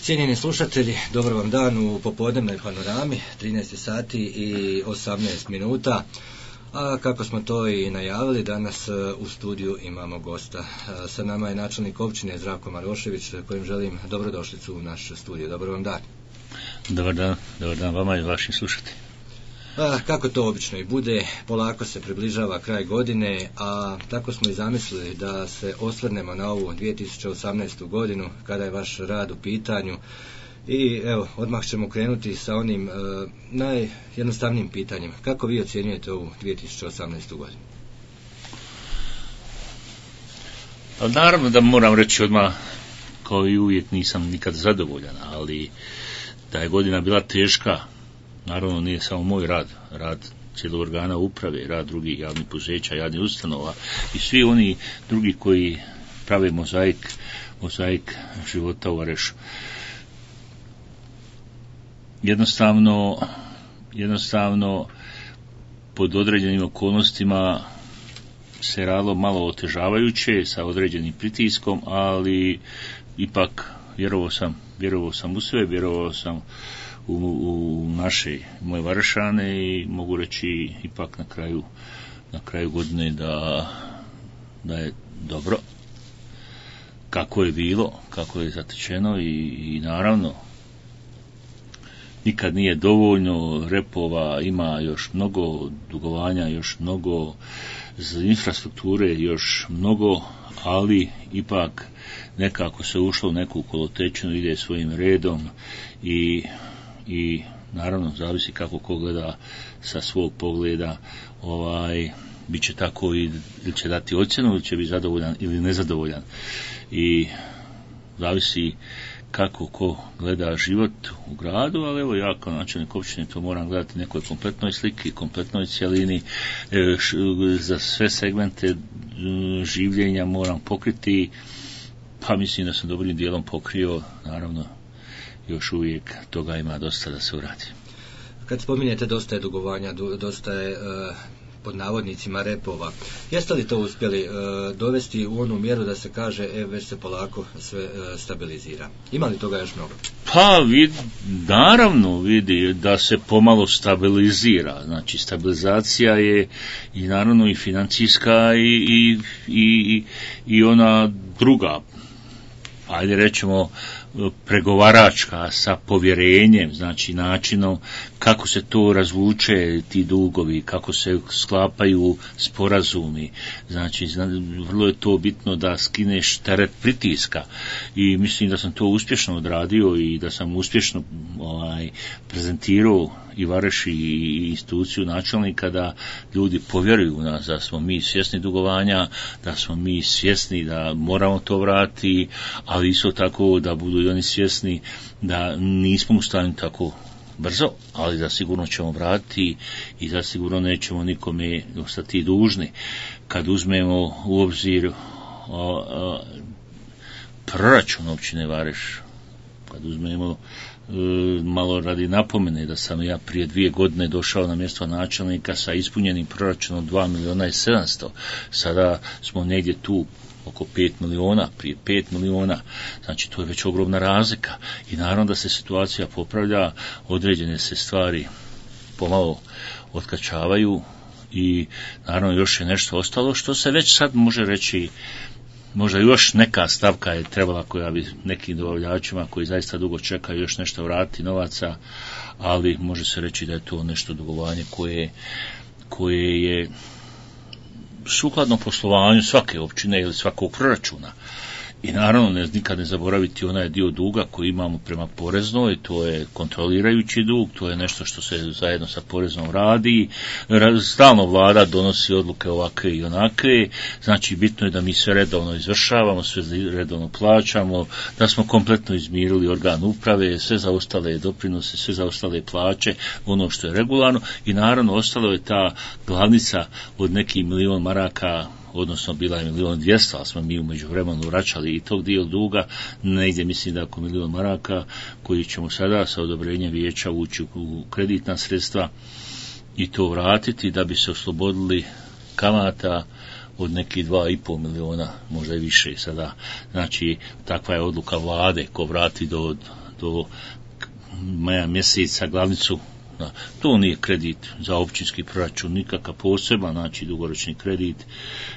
Cijenjeni slušatelji, dobar vam dan u popodnevnoj panorami, 13 sati i 18 minuta. A kako smo to i najavili, danas u studiju imamo gosta. Sa nama je načelnik općine Zdravko Marošević, kojim želim dobrodošlicu u naš studio. Dobar vam dan. Dobar dan vama i vašim slušateljima. Kako to obično i bude, polako se približava kraj godine, a tako smo i zamislili da se osvrnemo na ovu 2018. godinu kada je vaš rad u pitanju. I evo, odmah ćemo krenuti sa onim najjednostavnijim pitanjem. Kako vi ocjenjujete ovu 2018. godinu? Pa naravno da moram reći odmah, kao i uvijek nisam nikad zadovoljan, ali da je godina bila teška, naravno nije samo moj rad cijelog organa uprave, rad drugih javnih poduzeća, javnih ustanova i svi oni drugi koji prave mozaik života u Varešu. Jednostavno pod određenim okolnostima se radilo malo otežavajuće sa određenim pritiskom, ali ipak vjerovao sam u sve, vjerovao sam u naše moje Varešane i mogu reći ipak na kraju godine da je dobro kako je bilo, kako je zatečeno i naravno nikad nije dovoljno, repova ima još mnogo, dugovanja još mnogo, infrastrukture još mnogo, ali ipak nekako se ušlo u neku kolotečinu, ide svojim redom i naravno zavisi kako ko gleda sa svog pogleda, bit će tako ili će dati ocjenu ili će biti zadovoljan ili nezadovoljan i zavisi kako ko gleda život u gradu, ali evo ja kao načelnik općine to moram gledati nekoj kompletnoj sliki, kompletnoj cjelini, za sve segmente življenja moram pokriti, pa mislim da sam dobrim dijelom pokrio, naravno još uvijek toga ima dosta da se uradi. Kad spominjete dosta je dugovanja, dosta je pod navodnicima repova, jeste li to uspjeli dovesti u onu mjeru da se kaže već se polako sve stabilizira? Ima li toga još mnogo? Pa naravno vidi da se pomalo stabilizira, znači stabilizacija je i naravno i financijska i ona druga, ajde rećemo pregovaračka sa povjerenjem, znači načinom kako se to razvuče ti dugovi, kako se sklapaju sporazumi, znači vrlo je to bitno da skineš teret pritiska i mislim da sam to uspješno odradio i da sam uspješno prezentirao i Vareš i instituciju načelnika da ljudi povjeruju u nas, da smo mi svjesni dugovanja, da smo mi svjesni da moramo to vratiti, ali isto tako da budu i oni svjesni da nismo u stanju tako brzo, ali da sigurno ćemo vratiti i da sigurno nećemo nikome ostati dužni. Kad uzmemo u obzir proračun općine Vareš, kad uzmemo malo radi napomene da sam ja prije 2 godine došao na mjesto načelnika sa ispunjenim proračunom 2.700.000, sada smo negdje tu oko 5 miliona, prije 5 miliona, znači to je već ogromna razlika i naravno da se situacija popravlja, određene se stvari pomalo otkačavaju i naravno još je nešto ostalo što se već sad može reći, možda još neka stavka je trebala koja bi nekim dobavljačima koji zaista dugo čekaju još nešto vratiti novaca, ali može se reći da je to nešto dugovanje koje je sukladno poslovanju svake općine ili svakog proračuna. I naravno nikad ne zaboraviti onaj dio duga koji imamo prema poreznoj, to je kontrolirajući dug, to je nešto što se zajedno sa poreznom radi, stalno vlada donosi odluke ovakve i onakve, znači bitno je da mi sve redovno izvršavamo, sve redovno plaćamo, da smo kompletno izmirili organ uprave, sve zaostale doprinose, sve zaostale plaće, ono što je regularno i naravno ostalo je ta glavnica od nekih 1.000.000 maraka, odnosno bila je 1.200.000, ali smo mi u međuvremenu vraćali i tog dio duga, negdje mislim da oko 1.000.000 maraka koji ćemo sada sa odobrenjem vijeća ući u kreditna sredstva i to vratiti da bi se oslobodili kamata od nekih 2,5 miliona, možda i više sada. Znači, takva je odluka vlade, ko vrati do do maja mjeseca glavnicu. To nije kredit za općinski proračun, nikakav poseban, znači dugoročni kredit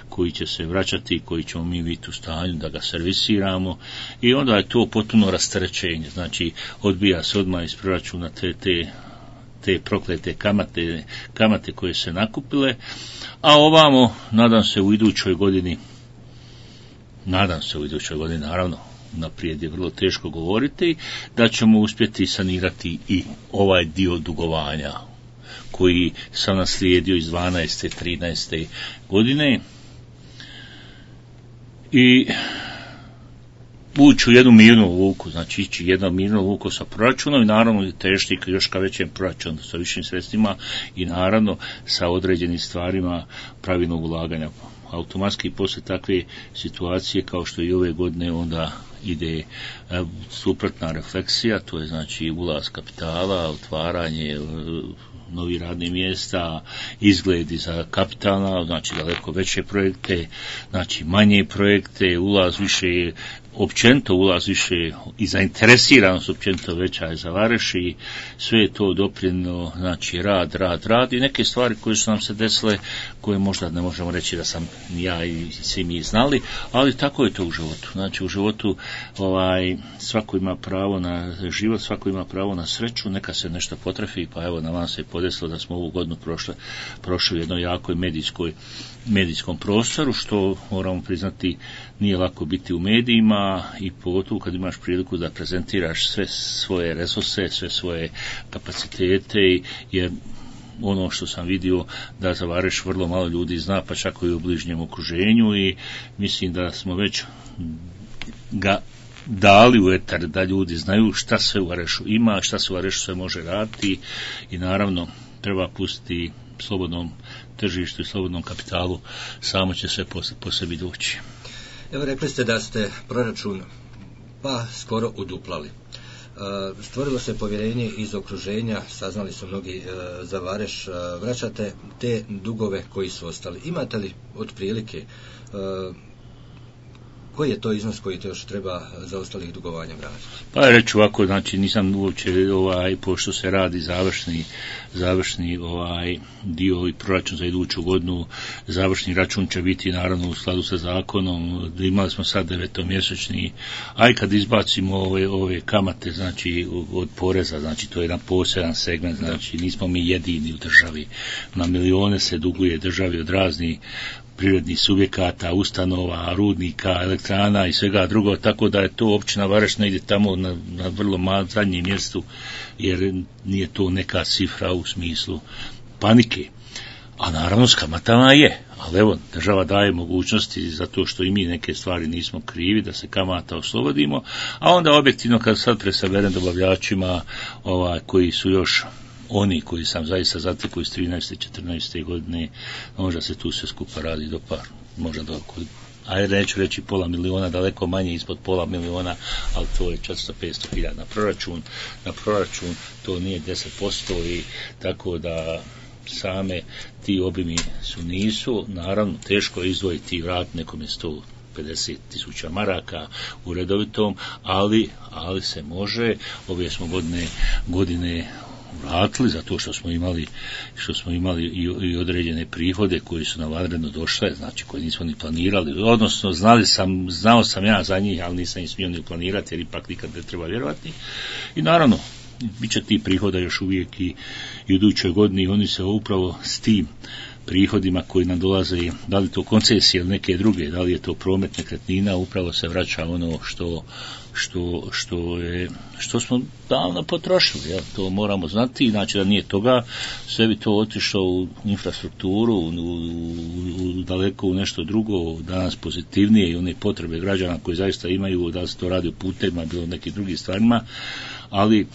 koji će se vraćati, koji ćemo mi biti u stanju da ga servisiramo i onda je to potpuno rasterećenje, znači odbija se odmah iz proračuna te proklete kamate koje se nakupile, a ovamo nadam se u idućoj godini, naravno naprijed je vrlo teško govoriti, da ćemo uspjeti sanirati i ovaj dio dugovanja koji sam naslijedio iz 12. 13. godine i ući u jednu mirnu luku, znači ići jednu mirnu luku sa proračunom i naravno težiti još ka većem proračunu sa višim sredstvima i naravno sa određenim stvarima pravilnog ulaganja. Automatski posle takve situacije kao što i ove godine onda ide suprotna refleksija, to je znači ulaz kapitala, otvaranje novih radnih mjesta, izgledi za kapitalna, znači daleko veće projekte, znači manje projekte, ulaz više, općenito ulaz više i zainteresiranost općenito veća je za Vareš i sve je to doprinjelo, znači rad i neke stvari koje su nam se desile, koje možda ne možemo reći da sam ja i svi mi znali, ali tako je to u životu. Znači u životu svako ima pravo na život, svako ima pravo na sreću, neka se nešto potrefi, pa evo na vam se podesilo da smo ovu godinu prošli u jednoj jakoj medijskom prostoru, što moramo priznati nije lako biti u medijima i pogotovo kad imaš priliku da prezentiraš sve svoje resurse, sve svoje kapacitete, jer ono što sam vidio da za Vareš vrlo malo ljudi zna, pa čak i u bližnjem okruženju i mislim da smo već ga dali u etar da ljudi znaju šta sve u Varešu ima, šta se u Varešu sve može raditi i naravno treba pustiti slobodnom tržištu i slobodnom kapitalu, samo će se po sebi doći. Evo rekli ste da ste proračun pa skoro uduplali. Stvorilo se povjerenje iz okruženja, saznali su mnogi za Vareš, vraćate te dugove koji su ostali. Imate li otprilike koji je to iznos koji te još treba za ostalih dugovanja vratiti? Pa reći ovako, znači nisam uopće pošto se radi završni dio i proračun za iduću godinu, završni račun će biti naravno u skladu sa zakonom, imali smo sad 9-mjesečni, a i kad izbacimo ove kamate, znači od poreza, znači to je jedan poseban segment, znači nismo mi jedini u državi, na milijone se duguje državi od raznih privrednih subjekata, ustanova, rudnika, elektrana i svega drugo, tako da je to općina Vareš ne ide tamo na vrlo zadnjem mjestu, jer nije to neka cifra u smislu panike. A naravno s kamatama je, ali evo, država daje mogućnosti zato što i mi neke stvari nismo krivi da se kamata oslobodimo, a onda objektivno kad sad presaberem dobavljačima koji su još oni koji sam zaista zatekao iz 13. 14. godine, možda se tu sve skupa radi do možda do ajde neću reći pola miliona, daleko manje ispod pola miliona, ali to je 400-500 na proračun, to nije 10% i tako da same ti obimi nisu, naravno teško je izdvojiti i vratiti nekome 150.000 maraka u redovitom, ali se može. Ove smo godine vratili zato što smo imali i određene prihode koji su nam vanredno došle, znači koje nismo ni planirali, odnosno znao sam ja za njih, ali nisam ih smio ni planirati jer ipak nikad ne treba vjerovati. I naravno bit će ti prihoda još uvijek i u idućoj godini, oni se upravo s tim prihodima koji nam dolaze, da li to koncesije ili neke druge, da li je to promet nekretnina, upravo se vraća ono što smo davno potrošili, to moramo znati, znači da nije toga, sve bi to otišlo u infrastrukturu, daleko u nešto drugo, danas pozitivnije i one potrebe građana koji zaista imaju, da se to radi u putevima, bilo nekim drugim stvarima, ali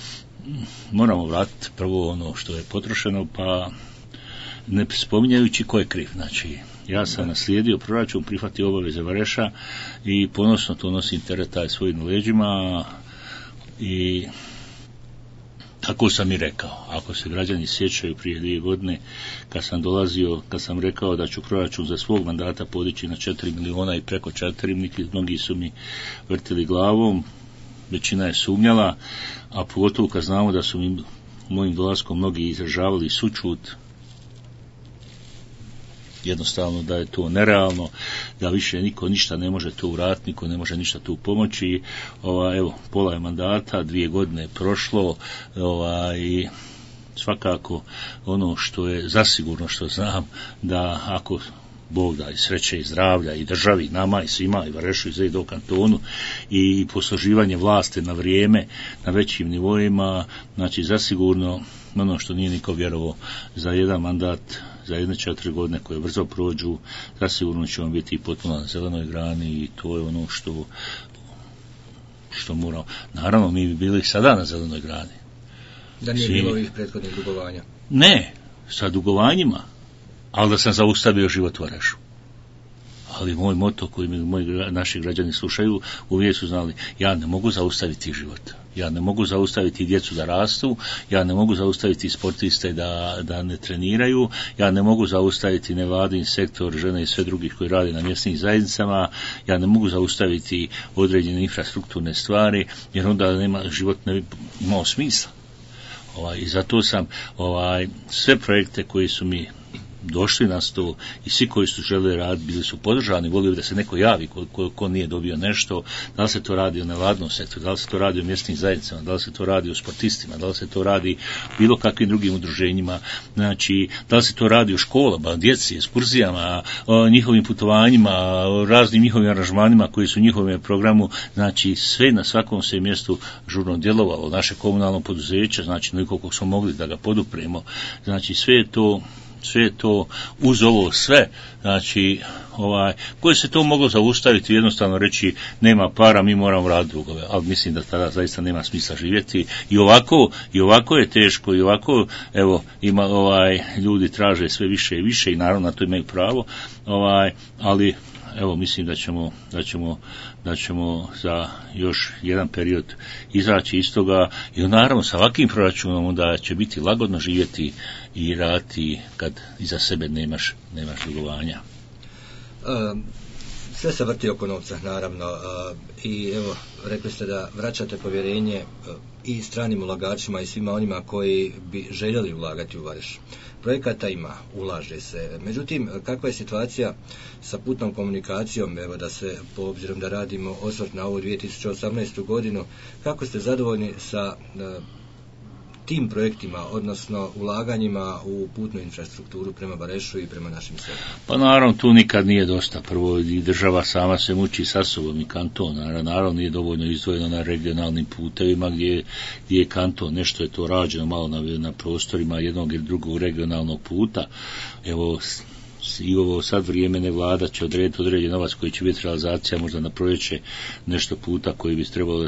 moramo vratiti prvo ono što je potrošeno, pa ne spominjajući ko je kriv. Znači, ja sam naslijedio proračun, prihvatio obaveze Vareša i ponosno to nosim teret taj svojim leđima i tako sam i rekao. Ako se građani sjećaju prije 2 godine kad sam dolazio, kad sam rekao da ću proračun za svog mandata podići na 4 miliona i preko 4, mnogi su mi vrtili glavom, većina je sumnjala, a pogotovo kad znamo da su mi mojim dolaskom mnogi izražavali sućut, jednostavno da je to nerealno, da više niko ništa ne može tu uraditi, niko ne može ništa tu pomoći. Evo, pola je mandata, 2 godine je prošlo, i svakako ono što je zasigurno što znam, da ako Bog da i sreće i zdravlja i državi, nama i svima, i Varešu i Zedo kantonu, i posluživanje vlasti na vrijeme, na većim nivoima, znači zasigurno ono što nije niko vjerovao, za jedan mandat, za 1-4 godine koje brzo prođu, zasigurno ćemo biti potpuno na zelenoj grani, i to je ono što moramo. Naravno, mi bi bili sada na zelenoj grani. Da nije bilo ovih prethodnih dugovanja? Ne, sa dugovanjima, ali da sam zaustavio život u Varešu. Ali moj moto koji naši građani slušaju, uvijek su znali, ja ne mogu zaustaviti život. Ja ne mogu zaustaviti djecu da rastu, ja ne mogu zaustaviti sportiste da ne treniraju, ja ne mogu zaustaviti nevladin sektor, žene i sve drugih koji rade na mjesnim zajednicama, ja ne mogu zaustaviti određene infrastrukturne stvari, jer onda život ne bi imao smisla. I zato sam sve projekte koji su mi došli na sto i svi koji su žele raditi bili su podržani, volio bi da se neko javi ko nije dobio nešto, da li se to radi o nevladnom sektoru, da li se to radi o mjesnim zajednicama, da li se to radi o sportistima, da li se to radi o bilo kakvim drugim udruženjima, znači da li se to radi o školama, djeci, ekskurzijama, o njihovim putovanjima, o raznim njihovim aranžmanima koji su u njihovom programu, znači sve na svakom se mjestu žurno djelovalo, naše komunalno poduzeće, znači koliko smo mogli da ga podupremo, znači sve je to uz ovo sve, znači koje se to moglo zaustaviti, jednostavno reći nema para, mi moramo raditi drugove, ali mislim da tada zaista nema smisla živjeti, i ovako je teško, i ovako evo ima ljudi traže sve više i više, i naravno na to imaju pravo, ali evo mislim da ćemo za još jedan period izaći iz toga, i naravno sa ovakvim proračunom da će biti lagodno živjeti i raditi kad iza sebe nemaš dugovanja. Sve se vrti oko novca, naravno, i evo, rekli ste da vraćate povjerenje i stranim ulagačima i svima onima koji bi željeli ulagati u Vareš. Projekata ima, ulaže se. Međutim, kakva je situacija sa putnom komunikacijom, evo da se, po obzirom da radimo osvrt na ovu 2018. godinu, kako ste zadovoljni sa tim projektima, odnosno ulaganjima u putnu infrastrukturu prema Varešu i prema našim selima? Pa naravno, tu nikad nije dosta. Prvo, i država sama se muči sa sobom, i kanton. Naravno, nije dovoljno izdvojeno na regionalnim putevima gdje je kanton. Nešto je to rađeno malo na prostorima jednog ili drugog regionalnog puta. Evo, i ovo sad vrijeme ne vlada će odrediti određen novac koji će biti realizacija možda na proljeće nešto puta koji bi trebalo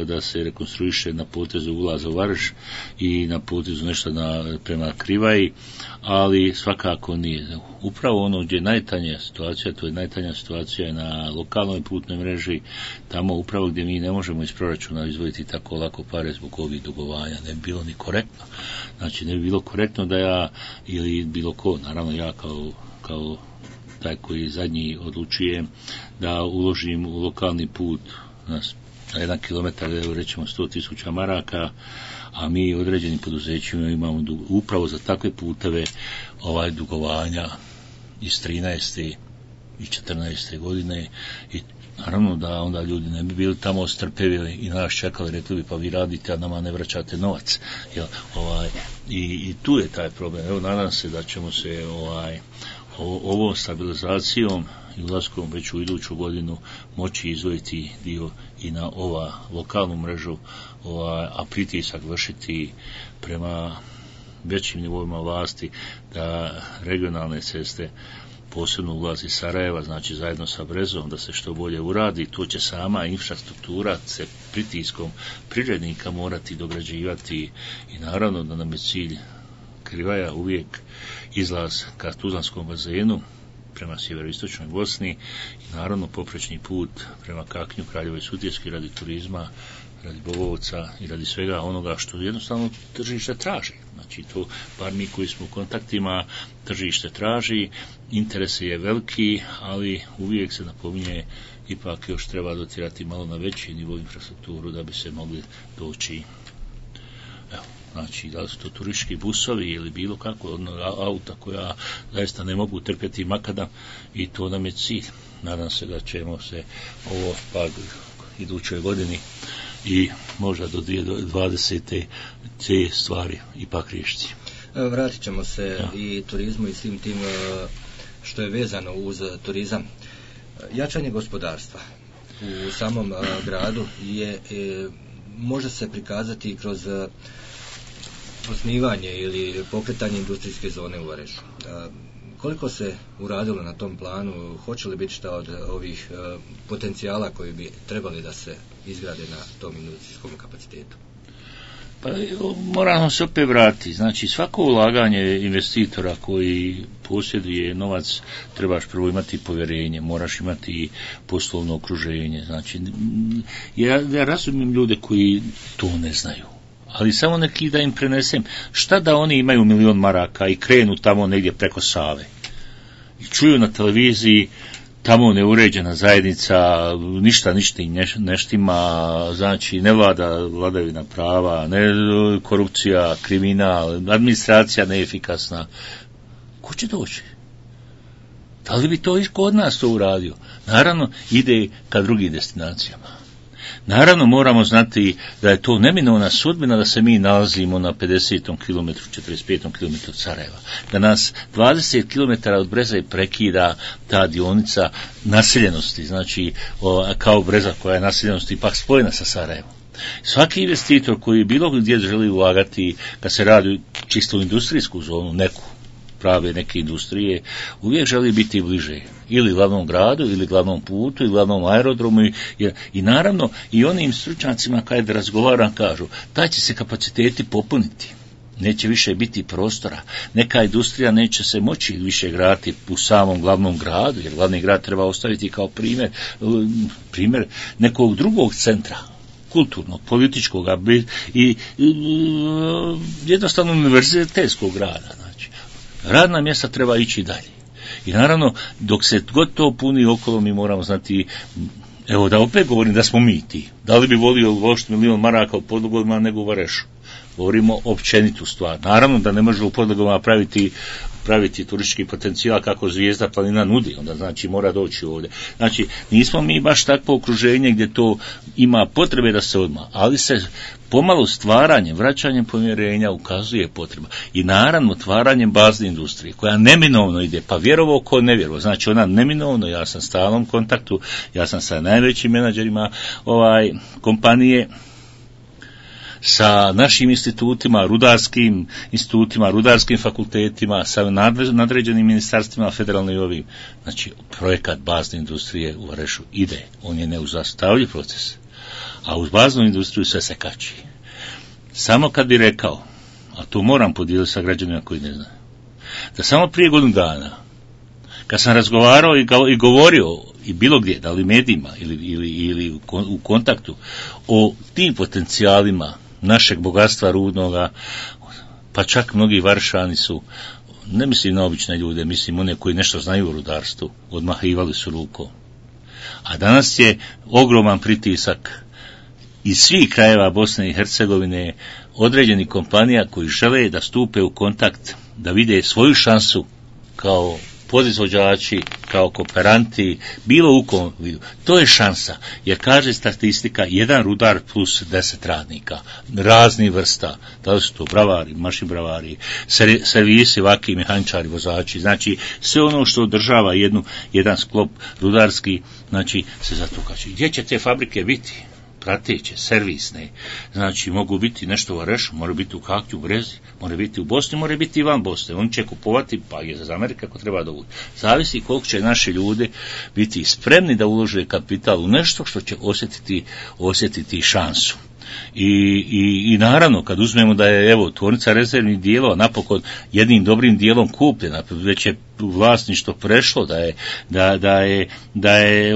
da se rekonstruiše na potezu ulaza u Vareš i na potezu nešto prema Krivaji, ali svakako nije. Upravo ono gdje je najtanja situacija, to je najtanja situacija na lokalnoj putnoj mreži, tamo upravo gdje mi ne možemo iz proračuna izdvojiti tako lako pare zbog ovih dugovanja, ne bi bilo ni korektno. Znači ne bi bilo korektno da ja ili bilo ko, naravno ja kao taj koji zadnji odlučuje da uložim u lokalni put na 1 kilometar, evo rećemo 100.000 maraka, a mi određenim poduzećima imamo upravo za takve puteve dugovanja iz 13. i 14. godine, i naravno da onda ljudi ne bi bili tamo strpjeli i nas čekali, rekli bi pa vi radite, a nama ne vraćate novac. I tu je taj problem. Evo nadam se da ćemo se ovom stabilizacijom i ulaskom već u iduću godinu moći izdvojiti dio i na lokalnu mrežu, a pritisak vršiti prema većim nivoima vlasti da regionalne ceste, posebno ulazi Sarajeva, znači zajedno sa Brezom, da se što bolje uradi. To će sama infrastruktura se pritiskom privrednika morati dograđivati, i naravno da nam je cilj Krivaja uvijek izlaz ka Tuzlanskom bazenu prema sjeveroistočnoj Bosni, i naravno poprečni put prema Kaknju, Kraljevoj Sutjeski radi turizma, radi Bogovca i radi svega onoga što jednostavno tržište traži. Znači to, bar mi koji smo u kontaktima, tržište traži, interes je veliki, ali uvijek se napominje ipak još treba dotirati malo na veći nivo infrastrukturu da bi se mogli doći. Evo, znači, da li su to turistički busovi ili bilo kako auta koja zaista ne mogu trpjeti makadam i to nam je cilj. Nadam se da ćemo se ovo pa idućoj godini i možda do 2020. te stvari ipak riješiti. Vratit ćemo se i turizmu i svim tim što je vezano uz turizam. Jačanje gospodarstva u samom gradu može se prikazati kroz osnivanje ili pokretanje industrijske zone u Varešu. Koliko se uradilo na tom planu, hoće li biti šta od ovih potencijala koji bi trebali da se izgrade na tom industrijskom kapacitetu? Pa moramo se opet vratiti. Znači svako ulaganje investitora koji posjeduje novac trebaš prvo imati povjerenje, moraš imati poslovno okruženje. Znači ja razumijem ljude koji to ne znaju. Ali samo neki da im prenesem, šta da oni imaju 1.000.000 maraka i krenu tamo negdje preko Save i čuju na televiziji tamo neuređena zajednica, ništa neštima, znači ne vlada vladavina prava, ne korupcija, kriminal, administracija neefikasna. Ko će doći? Da li bi to i kod nas to uradio? Naravno, ide ka drugim destinacijama. Naravno, moramo znati da je to neminovna sudbina da se mi nalazimo na 50. kilometru, 45. kilometru od Sarajeva. Da nas 20 km od Breze prekida ta dionica naseljenosti, znači kao Breza koja je naseljenost ipak spojena sa Sarajevom. Svaki investitor koji bilo gdje želi ulagati, kad se radi čisto u industrijsku zonu, neku, prave neke industrije, uvijek želi biti bliže ili glavnom gradu, ili glavnom putu, ili glavnom aerodromu i naravno i onim stručnjacima kada razgovaram kažu, taj će se kapaciteti popuniti. Neće više biti prostora. Neka industrija neće se moći više graditi u samom glavnom gradu, jer glavni grad treba ostaviti kao primjer nekog drugog centra, kulturnog, političkog i jednostavno univerzitetskog grada. Znači, radna mjesta treba ići dalje. I naravno, dok se god to puni okolo, mi moramo znati, evo da opet govorim da smo mi ti. Da li bi volio uložiti 1.000.000 maraka u Podlogovima nego u Varešu? Govorimo općenitu stvar. Naravno da ne može u Podlogovima praviti turistički potencijal kako Zvijezda planina nudi, onda znači mora doći ovdje. Znači, nismo mi baš takvo okruženje gdje to ima potrebe da se odmah, ali se pomalo stvaranjem, vraćanjem povjerenja ukazuje potreba. I naravno otvaranjem bazne industrije, koja neminovno ide, pa vjerovo ko ne vjerovo. Znači ona neminovno, ja sam u stalnom kontaktu, ja sam sa najvećim menadžerima kompanije, sa našim institutima, rudarskim institutima, rudarskim fakultetima, sa nadređenim ministarstvima federalne i ovim. Znači, projekat bazne industrije u Varešu ide, on je neuzastavljiv proces, a uz baznu industriju sve se kači. Samo kad bi rekao, a to moram podijeliti sa građanima koji ne znaju, da samo prije godinu dana, kad sam razgovarao i govorio i bilo gdje, da li medijima ili u kontaktu o tim potencijalima našeg bogatstva rudnoga, pa čak mnogi Varšani su, ne mislim na obične ljude, mislim one koji nešto znaju o rudarstvu, odmahivali su rukom. A danas je ogroman pritisak iz svih krajeva Bosne i Hercegovine, određenih kompanija koji žele da stupe u kontakt, da vide svoju šansu kao podizvođači, kao kooperanti, bilo u kom vidu. To je šansa, jer kaže statistika, jedan rudar plus 10 radnika, raznih vrsta, da li su to bravari, mašinbravari, servisi, vaki, mehaničari, vozači, znači sve ono što održava jedan sklop rudarski, znači se zato kaže. Gdje će te fabrike biti? Prateće, servisne, znači mogu biti nešto u Varešu, mora biti u Kaknju, u Brezi, mora biti u Bosni, mora biti i van Bosne. Oni će kupovati, pa je za Amerika ako treba da uđe. Zavisi koliko će naši ljudi biti spremni da ulože kapital u nešto što će osjetiti šansu. I naravno kad uzmemo da je evo tvornica rezervnih dijelova napokon jednim dobrim dijelom kupljena, već je vlasništvo prešlo, da je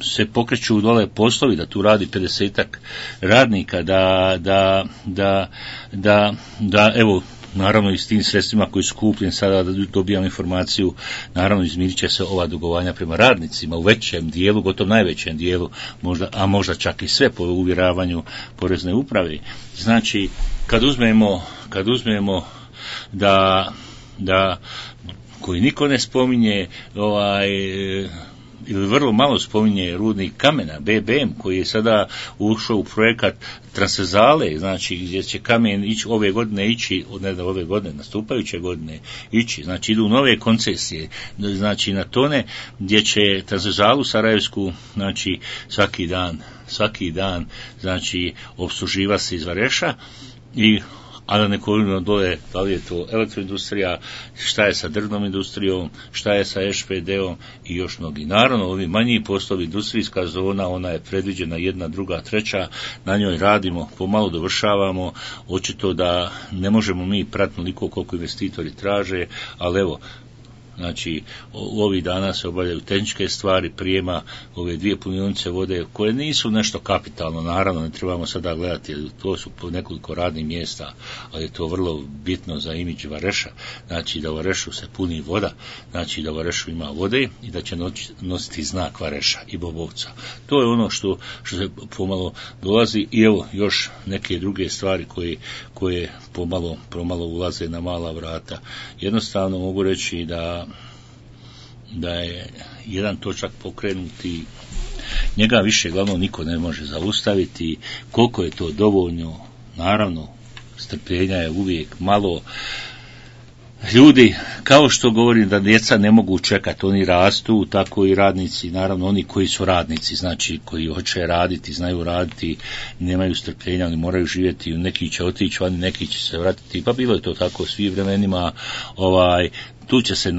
se pokreću dole poslovi, da tu radi 50-ak radnika, da evo naravno i s tim sredstvima koji su kupljeni sada da dobijamo informaciju, naravno izmirit će se ova dugovanja prema radnicima u većem dijelu, gotovo najvećem dijelu, možda čak i sve po uvjeravanju porezne uprave. Znači, kad uzmemo da koji niko ne spominje ili vrlo malo spominje rudnik kamena, BBM, koji je sada ušao u projekat transverzale, znači gdje će kamen ići ove godine nastupajuće godine ići, znači idu nove koncesije, znači na tone gdje će transverzalu Sarajevsku, znači svaki dan, znači opsluživa se iz Vareša a da ne govorimo dole, da li je to elektroindustrija, šta je sa drvnom industrijom, šta je sa SPD-om i još mnogi. Naravno, ovi manji poslovi, industrijska zona, ona je predviđena 1, 2, 3, na njoj radimo, pomalo dovršavamo, očito da ne možemo mi pratiti toliko koliko investitori traže, ali evo, znači, ovih dana se obavljaju tehničke stvari, prijema ove 2 punionice vode, koje nisu nešto kapitalno, naravno, ne trebamo sada gledati, to su po nekoliko radnih mjesta, ali je to vrlo bitno za imidž Vareša, znači da u Varešu se puni voda, znači da u Varešu ima vode i da će nositi znak Vareša i Bobovca. To je ono što se pomalo dolazi i evo još neke druge stvari koje pomalo ulaze na mala vrata. Jednostavno mogu reći da je jedan točak pokrenuti, njega više glavno niko ne može zaustaviti. Koliko je to dovoljno, naravno strpljenja je uvijek malo. Ljudi, kao što govorim da djeca ne mogu čekati, oni rastu, tako i radnici, naravno oni koji su radnici, znači koji hoće raditi, znaju raditi, nemaju strpljenja, oni moraju živjeti, neki će otići vani, neki će se vratiti, pa bilo je to tako svim vremenima, tu će se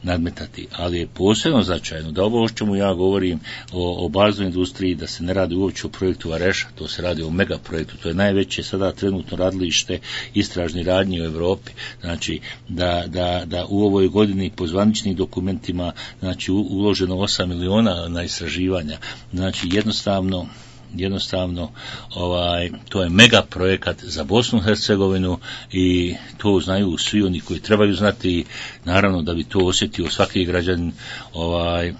nadmetati, ali je posebno značajno da ovo o čemu ja govorim o baznoj industriji, da se ne radi uopće o projektu Vareša, to se radi o megaprojektu, to je najveće sada trenutno radilište istražnih radnji u Europi, znači da u ovoj godini po zvaničnim dokumentima znači uloženo 8 miliona na istraživanja, znači jednostavno to je mega projekat za Bosnu i Hercegovinu i to znaju svi oni koji trebaju znati, naravno da bi to osjetio svaki građanin,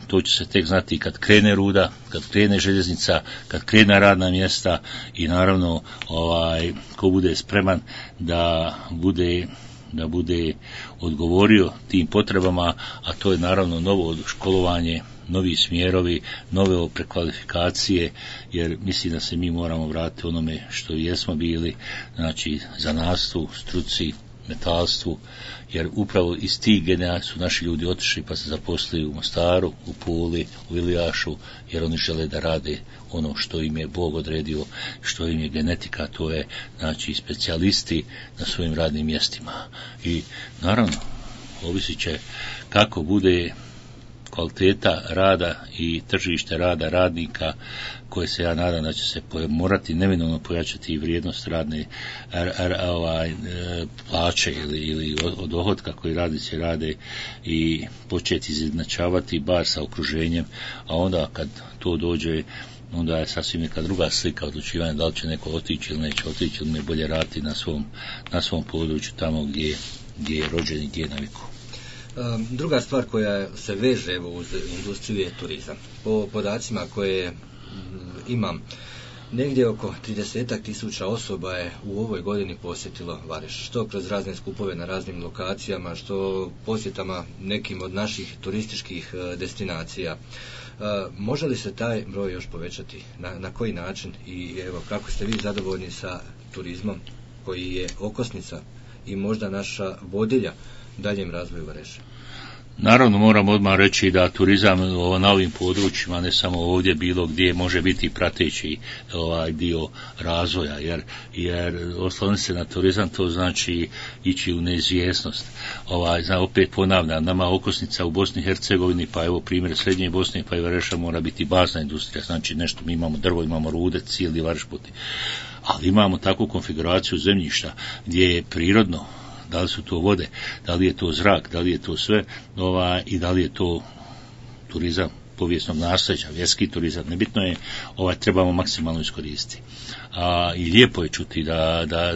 to će se tek znati kad krene ruda, kad krene željeznica, kad krene radna mjesta i naravno ko bude spreman da bude odgovorio tim potrebama, a to je naravno novo školovanje, novi smjerovi, nove prekvalifikacije, jer mislim da se mi moramo vratiti onome što jesmo bili, znači zanatstvu, struci, metalstvu, jer upravo iz tih generacija su naši ljudi otišli pa se zaposlili u Mostaru, u Puli, u Ilijašu, jer oni žele da rade ono što im je Bog odredio, što im je genetika, to je znači specijalisti na svojim radnim mjestima. I naravno, ovisit će kako bude kvaliteta rada i tržište rada radnika, koje se ja nadam da će se morati neminovno pojačati i vrijednost radne plaće ili od dohotka koji radnici rade i početi izjednačavati bar sa okruženjem, a onda kad to dođe, onda je sasvim neka druga slika odlučivanja da li će neko otići ili neće otići, ili ne bolje raditi na svom području tamo gdje je rođen i gdje je navikao. Druga stvar koja se veže uz industriju je turizam. Po podacima koje imam, negdje oko 30.000 osoba je u ovoj godini posjetilo Vareš, što kroz razne skupove na raznim lokacijama, što posjetama nekim od naših turističkih destinacija. Može li se taj broj još povećati? Na koji način? I evo, kako ste vi zadovoljni sa turizmom koji je okosnica i možda naša vodilja daljem razvoju Vareša? Naravno moram odmah reći da turizam na ovim područjima, ne samo ovdje, bilo gdje može biti prateći dio razvoja, jer osloniti se na turizam to znači ići u neizvjesnost. Opet ponavljam, nama okosnica u Bosni i Hercegovini, pa evo primjer Srednje Bosne pa i Vareša mora biti bazna industrija, znači nešto, mi imamo drvo, imamo rude, cijeli Vareš puti, ali imamo takvu konfiguraciju zemljišta gdje je prirodno, da li su to vode, da li je to zrak, da li je to sve, i da li je to turizam povijesnog nasljeđa, vjerski turizam, nebitno je, trebamo maksimalno iskoristiti. I lijepo je čuti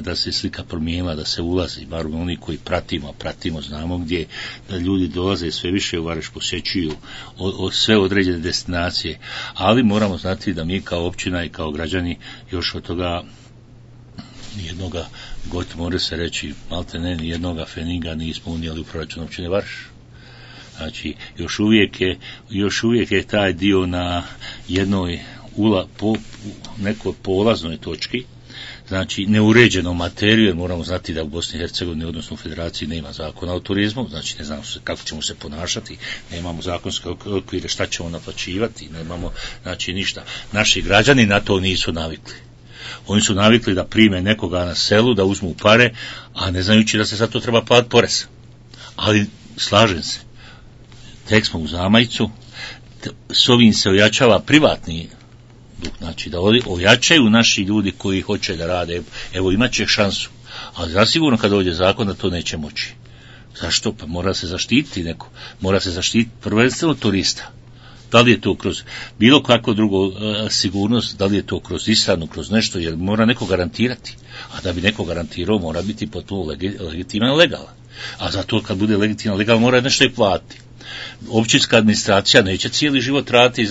da se slika promijenila, da se ulazi, bar oni koji pratimo, znamo gdje, da ljudi dolaze sve više u Vareš, posjećuju sve određene destinacije, ali moramo znati da mi kao općina i kao građani još od toga nijednoga, gotovo može se reći, malte ne, nijednoga feniga nismo unijeli u proračun općine Vareš. Znači, još uvijek je taj dio na jednoj nekoj polaznoj točki, znači neuređenom materiju, jer moramo znati da u Bosni i Hercegovini, odnosno u Federaciji, nema zakona o turizmu, znači ne znamo kako ćemo se ponašati, nemamo zakonske okvire, šta ćemo naplaćivati, nemamo, znači ništa. Naši građani na to nisu navikli. Oni su navikli da prime nekoga na selu, da uzmu pare, a ne znajući da se za to treba platiti porez. Ali slažem se, tek smo u zamajcu, s ovim se ojačava privatni duh, znači da ojačaju naši ljudi koji hoće da rade, evo imat će šansu, ali zasigurno kad dođe zakon da to neće moći. Zašto? Pa mora se zaštititi neko, mora se zaštititi prvenstveno turista. Da li je to kroz bilo kakvo drugo sigurnost, da li je to kroz ishranu, kroz nešto, jer mora neko garantirati. A da bi neko garantirao, mora biti potpuno legitiman i legalan. A zato kad bude legitiman i legalan, mora nešto i platiti. Općinska administracija neće cijeli život raditi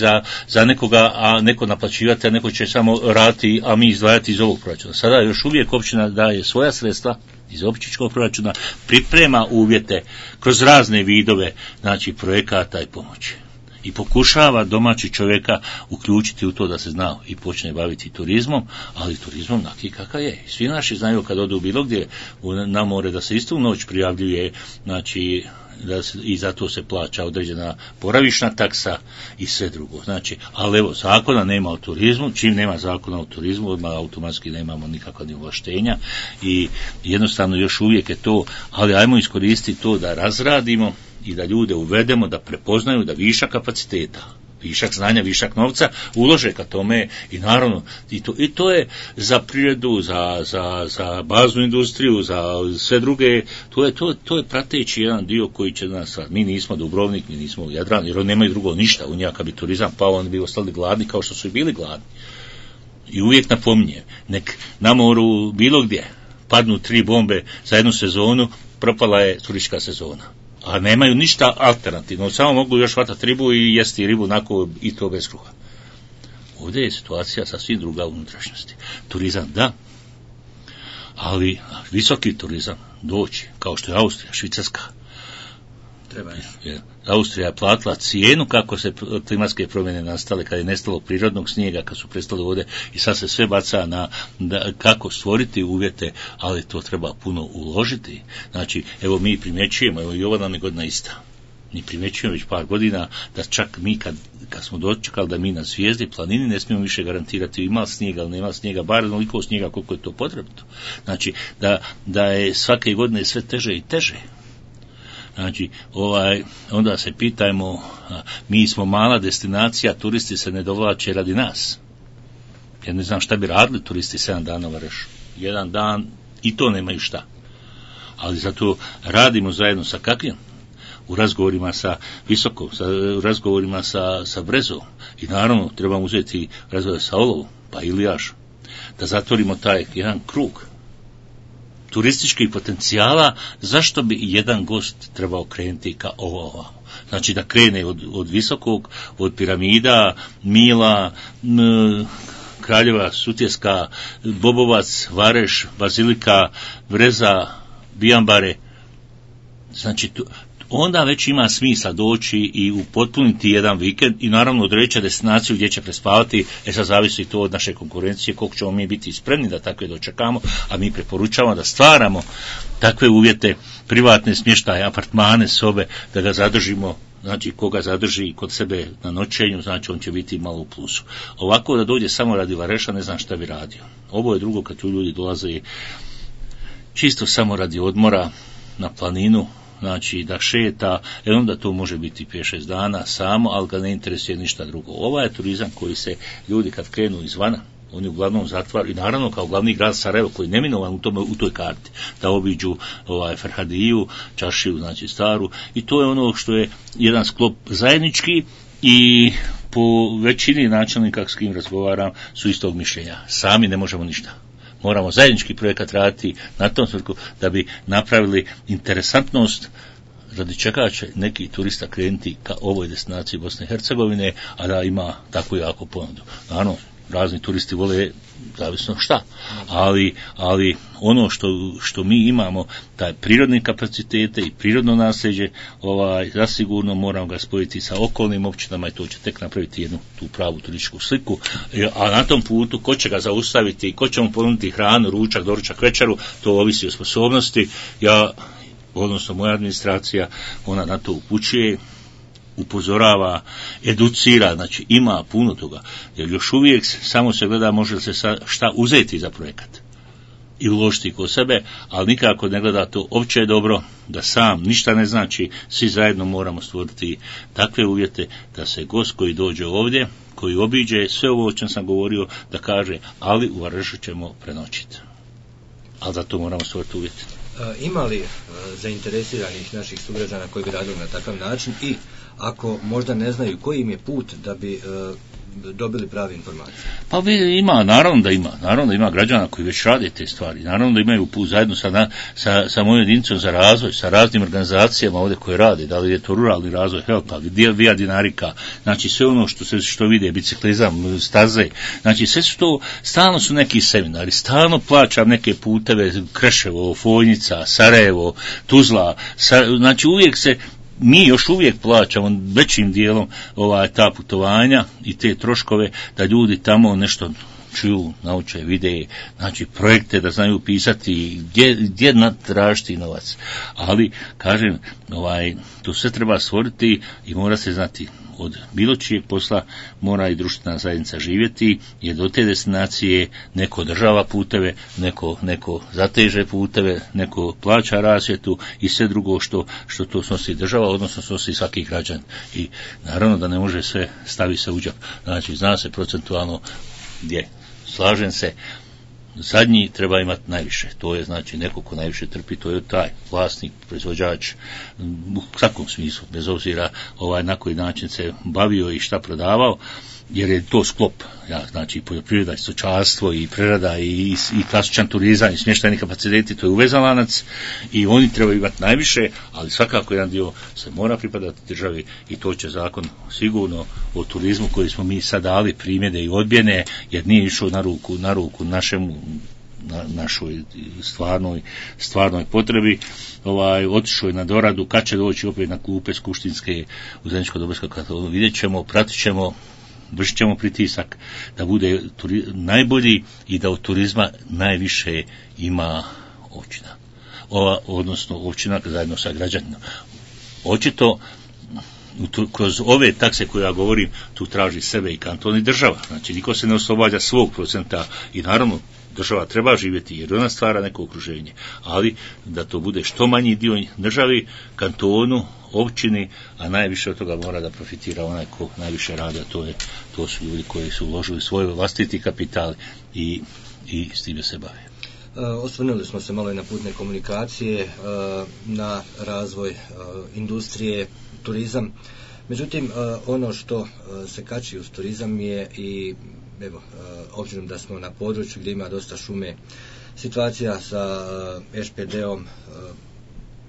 za nekoga, a neko naplaćivati, a neko će samo raditi, a mi izdvajati iz ovog proračuna. Sada još uvijek općina daje svoja sredstva iz općinskog proračuna, priprema uvjete kroz razne vidove, znači projekata i pomoći. I pokušava domaći čovjeka uključiti u to da se zna i počne baviti turizmom, ali turizmom naki kakav je. Svi naši znaju kad odu bilo gdje na more da se istu noć prijavljuje, znači i zato se plaća određena boravišna taksa i sve drugo. Znači, ali evo, zakona nema o turizmu, čim nema zakona o turizmu, odmah automatski nemamo nikakva ni ovlaštenja i jednostavno još uvijek je to, ali ajmo iskoristiti to da razradimo i da ljude uvedemo, da prepoznaju da višak kapaciteta, višak znanja, višak novca ulože ka tome i naravno i to je za privredu, za baznu industriju, za sve druge, to je prateći jedan dio koji će nas, mi nismo Dubrovnik, mi nismo Jadran, jer oni nemaju drugo ništa, u njaka bi turizam pao, oni bi ostali gladni kao što su i bili gladni. I uvijek napominjem, nek na moru bilo gdje padnu 3 bombe za jednu sezonu, propala je turistička sezona. A nemaju ništa alternativno, samo mogu još hvatati ribu i jesti ribu onako i to bez kruha. Ovdje je situacija sasvim druga u unutrašnjosti. Turizam da, ali visoki turizam doći, kao što je Austrija, Švicarska. Austrija je platila cijenu kako se klimatske promjene nastale, kad je nestalo prirodnog snijega, kad su prestale vode i sad se sve baca na kako stvoriti uvjete, ali to treba puno uložiti. Znači, evo mi primjećujemo, evo i ova nam je godina ista. Mi primjećujemo već par godina da čak mi kad smo dočekali da mi na zvijezdi, planini ne smijemo više garantirati ima snijega ili nema snijega, bar onoliko snijega koliko je to potrebno. Znači, da je svake godine sve teže i teže. Znači, onda se pitajmo, mi smo mala destinacija, turisti se ne dovlače radi nas. Ja ne znam šta bi radili turisti 7 dana u Varešu. 1 dan i to nemaju šta. Ali zato radimo zajedno sa kakvim? U razgovorima sa Visokom, u razgovorima sa Brezom. I naravno trebamo uzeti razgovor sa Olovom, pa Ilijašom. Da zatvorimo taj jedan krug turističkih potencijala, zašto bi jedan gost trebao krenuti ka ovo. Znači da krene od Visokog, od piramida, Mila, Kraljeva, Sutjeska, Bobovac, Vareš, Bazilika, Breza, Bijambare. Znači onda već ima smisla doći i upotpuniti jedan vikend i naravno odreći destinaciju gdje će prespavati. Sad zavisi to od naše konkurencije, koliko ćemo mi biti spremni da takve dočekamo, a mi preporučavamo da stvaramo takve uvjete, privatne smještaje, apartmane, sobe, da ga zadržimo. Znači, koga zadrži kod sebe na noćenju, znači on će biti malo u plusu. Ovako da dođe samo radi Vareša, ne znam šta bi radio. Ovo je drugo kad tu ljudi dolaze čisto samo radi odmora na planinu, znači da šeta, onda to može biti 5-6 dana samo, ali ga ne interesuje ništa drugo. Ovaj je turizam koji se ljudi kad krenu izvana, oni uglavnom zatvaraju, i naravno kao glavni grad Sarajevo koji je neminovan u toj karti, da obiđu Ferhadiju, čaršiju, znači staru, i to je ono što je jedan sklop zajednički i po većini načelnika s kim razgovaram su istog mišljenja. Sami ne možemo ništa. Moramo zajednički projekat raditi na tom svrhu da bi napravili interesantnost radi čega će neki turista krenuti ka ovoj destinaciji Bosne i Hercegovine, a da ima takvu jako ponudu. Naravno, razni turisti vole zavisno šta, ali ono što mi imamo, taj prirodni kapacitete i prirodno nasljeđe, zasigurno moramo ga spojiti sa okolnim općinama i to će tek napraviti jednu tu pravu turističku sliku, a na tom putu ko će ga zaustaviti, ko će mu ponuditi hranu, ručak, doručak, večeru, to ovisi o sposobnosti. Odnosno moja administracija, ona na to upućuje, upozorava, educira, znači ima puno toga, jer još uvijek samo se gleda može li se šta uzeti za projekat i uložiti kod sebe, ali nikako ne gleda to opće je dobro, da sam ništa ne znači, svi zajedno moramo stvoriti takve uvjete da se gost koji dođe ovdje, koji obiđe sve ovo o čem sam govorio, da kaže, ali u Varešu ćemo prenoćiti. Ali za to moramo stvoriti uvjete. Ima li zainteresiranih naših sugrađana koji bi radili na takav način i ako možda ne znaju koji im je put da bi dobili prave informacije? Pa naravno da ima građana koji već rade te stvari, naravno da imaju put zajedno sa mojom jedinicom za razvoj, sa raznim organizacijama ovdje koje rade, da li je to ruralni razvoj, HELP, Via Dinarika, znači sve ono što vide, biciklizam, staze, znači sve su to, stalno su neki seminari, stalno plaćam neke puteve, Kreševo, Fojnica, Sarajevo, Tuzla, znači uvijek mi još uvijek plaćamo većim dijelom ta putovanja i te troškove da ljudi tamo nešto čuju, nauče, vide, znači projekte da znaju pisati, gdje natražiti novac. Ali, kažem, to sve treba stvoriti i mora se znati od bilo čijeg posla mora i društvena zajednica živjeti, jer do te destinacije neko održava puteve, neko zateže puteve, neko plaća rasvjetu i sve drugo što to snosi država, odnosno snosi svaki građan. I naravno da ne može sve staviti se u džep. Znači, zna se procentualno gdje. Slažem se, zadnji treba imati najviše, to je znači neko ko najviše trpi, to je taj vlasnik, proizvođač, u svakom smislu, bez obzira na koji način se bavio i šta prodavao, jer je to sklop, znači poljoprivreda i stočarstvo i prerada i klasičan turizam i smještajni kapaciteti, to je uvezan lanac i oni trebaju imati najviše, ali svakako jedan dio se mora pripadati državi i to će zakon sigurno o turizmu koji smo mi sad dali primjede i odbjene, jer nije išao na ruku našoj stvarnoj potrebi, otišao je na doradu, kad će doći opet na klupe skupštinske u Zeničko-Dobojskoj katalogu, vidjet ćemo, pratit ćemo, vršit ćemo pritisak da bude najbolji i da od turizma najviše ima općina. Odnosno općina zajedno sa građanima. Očito kroz ove takse koje ja govorim, tu traži sebe i kanton i država. Znači, niko se ne oslobađa svog procenta i naravno država treba živjeti jer ona stvara neko okruženje, ali da to bude što manji dio državi, kantonu, općini, a najviše od toga mora da profitira onaj ko najviše radi, a to su ljudi koji su uložili svoj vlastiti kapital i s time se bave. Osvrnuli smo se malo i na putne komunikacije, na razvoj industrije, turizam. Međutim, ono što se kači uz turizam je i obzirom da smo na području gdje ima dosta šume, situacija sa ŠPD-om,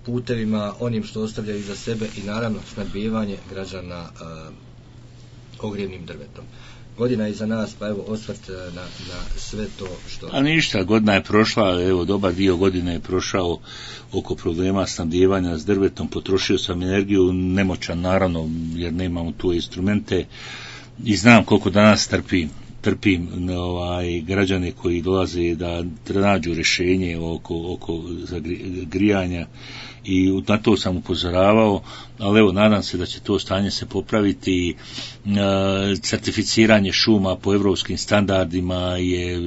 putevima, onim što ostavljaju iza sebe i naravno snabdijevanje građana ogrjevnim drvetom. godina iza nas, pa evo osvrt na sve to što... A ništa, godina je prošla, evo dobar dio godine je prošao oko problema snabdijevanja s drvetom, potrošio sam energiju, nemoćan naravno, jer nemamo tu instrumente i znam koliko danas trpim građane koji dolaze da nađu rješenje oko grijanja i na to sam upozoravao, ali evo nadam se da će to stanje se popraviti. Certificiranje šuma po evropskim standardima je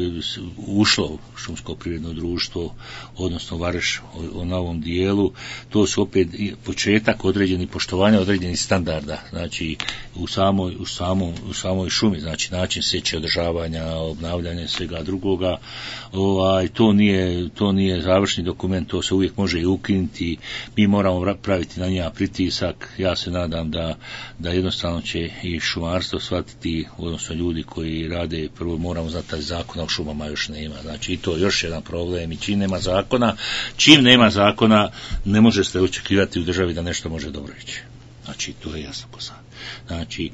ušlo šumsko privredno društvo, odnosno Vareš na ovom dijelu. To su opet početak određenih poštovanja određenih standarda, znači u samoj šumi, znači način sječe, održavanja, obnavljanja i svega drugoga. To nije završni dokument, to se uvijek može i ukinuti. Mi moramo praviti na njega pritisak. Ja se nadam da jednostavno će i šumarstvo shvatiti, odnosno ljudi koji rade, prvo moramo znati taj zakona o šumama još nema. Znači i to je još jedan problem. I čim nema zakona, ne može se očekivati u državi da nešto može dobro ići. Znači to je jasno ko sad. Znači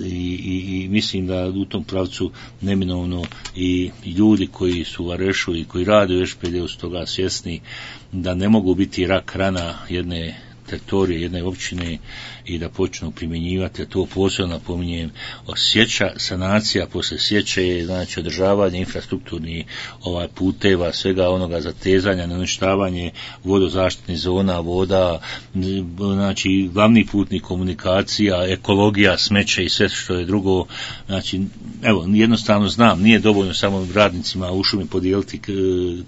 i mislim da u tom pravcu neminovno i ljudi koji su u Varešu i koji rade u SPD-u su toga svjesni da ne mogu biti rak rana jedne teritorije, jedne općine i da počnu primjenjivati, a to posebno napominjem, sjeća, sanacija poslije sječe, znači održavanje infrastrukturnih puteva, svega onoga zatezanja, neuništavanje vodozaštitnih zona, voda, znači glavni putnih komunikacija, ekologija, smeće i sve što je drugo. Znači, evo, jednostavno znam, nije dovoljno samo radnicima u šumi podijeliti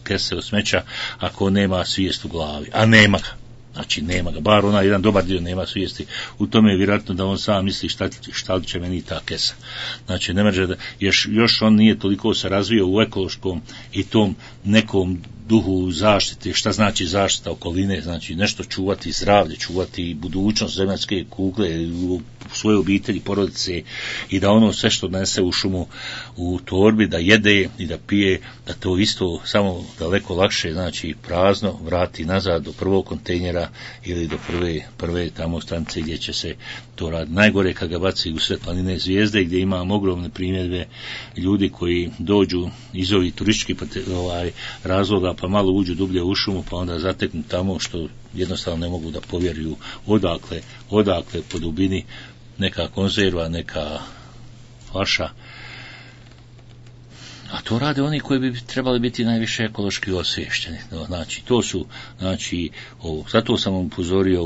kese od smeća ako nema svijest u glavi, a nema ga. Znači nema ga, bar onaj jedan dobar dio nema svijesti. U tome je vjerojatno da on sam misli šta li će meni ta kesa. Znači ne može da, još on nije toliko se razvio u ekološkom i tom nekom duhu zaštite, šta znači zaštita okoline, znači nešto čuvati zdravlje, čuvati budućnost zemaljske kugle u svoje obitelji, porodice i da ono sve što nese u šumu u torbi, da jede i da pije, da to isto samo daleko lakše, znači prazno, vrati nazad do prvog kontejnera ili do prve tamo stanice gdje će se to raditi. Najgore kad ga baci u sred planine Zvijezde gdje imam ogromne primjedbe ljudi koji dođu iz ovih turističkih razloga pa malo uđu dublje u šumu pa onda zateknu tamo što jednostavno ne mogu da povjeruju odakle po dubini neka konzerva, neka flaša. A to rade oni koji bi trebali biti najviše ekološki osvješteni. Znači, to su, zato sam upozorio,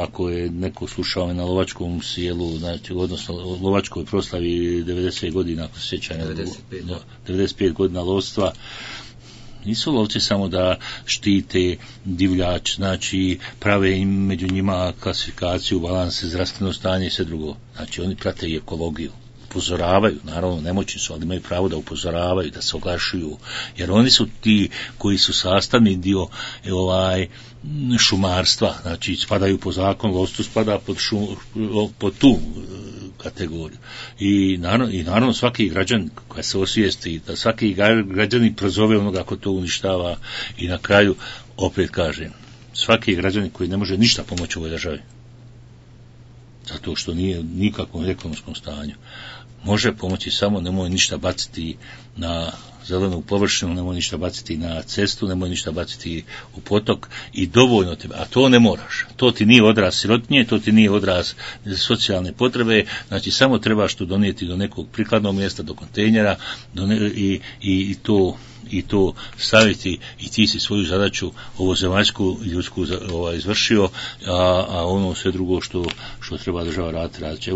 ako je neko slušao me na lovačkom sjelu, znači, odnosno lovačkoj proslavi 90 godina, ako se sjeća, 95 godina lovstva, nisu lovci samo da štite divljač, znači prave im među njima klasifikaciju, balanse, zdravstveno stanje i sve drugo. Znači oni prate i ekologiju. Upozoravaju, naravno nemoćni su, ali imaju pravo da upozoravaju, da se oglašuju, jer oni su ti koji su sastavni dio šumarstva, znači spadaju po zakonu, lovstvo spada pod tu kategoriju. I naravno svaki građan koja se osvijesti, da svaki građanin prozove onoga ko to uništava i na kraju, opet kažem, svaki građanin koji ne može ništa pomoći u ovoj državi, zato što nije nikakvom ekonomskom stanju, može pomoći samo, nemoj ništa baciti na zelenu površinu, nemoj ništa baciti na cestu, nemoj ništa baciti u potok i dovoljno tebe, a to ne moraš. To ti nije odraz sirotinje, to ti nije odraz socijalne potrebe, znači samo trebaš to donijeti do nekog prikladnog mjesta, do kontejnera i to staviti i ti si svoju zadaću ovozemaljsku i ljudsku izvršio, a ono sve drugo što treba država raditi.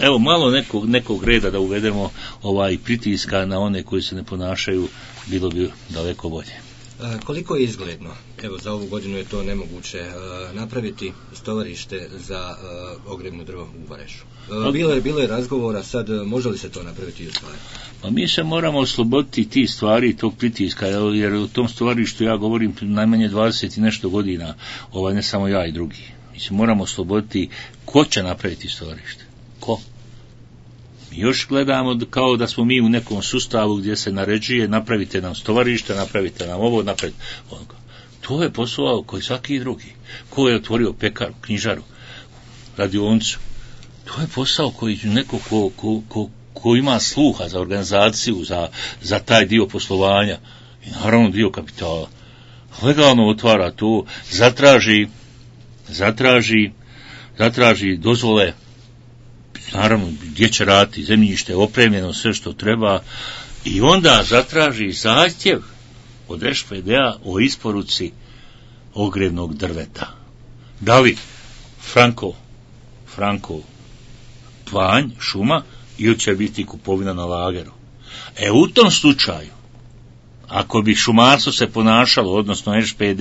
Evo malo nekog reda da uvedemo pritiska na one koji se ne ponašaju, bilo bi daleko bolje. Koliko je izgledno? Evo, za ovu godinu je to nemoguće napraviti stovarište za ogrjevno drvo u Varešu. Bilo je razgovora, sad može li se to napraviti i u stvari? Pa mi se moramo osloboditi tih stvari, tog pritiska, jer u tom stovarištu ja govorim najmanje 20 i nešto godina, ne samo ja i drugi. Mi se moramo osloboditi ko će napraviti stovarište. Ko? Mi još gledamo kao da smo mi u nekom sustavu gdje se naređuje napravite nam stovarište, napravite nam ovo, napravite ono. To je posao koji svaki drugi. Ko je otvorio pekaru, knjižaru, radionicu, To je posao koji neko ko ima sluha za organizaciju, za taj dio poslovanja i naravno dio kapitala, legalno otvara to, zatraži dozvole, naravno gdje će raditi, zemljište je opremljeno, sve što treba, i onda zatraži zahtjev od ŠPD-a o isporuci ogrjevnog drveta. Da li Franko panj, šuma, ili će biti kupovina na lageru. U tom slučaju, ako bi šumarstvo se ponašalo, odnosno ŠPD,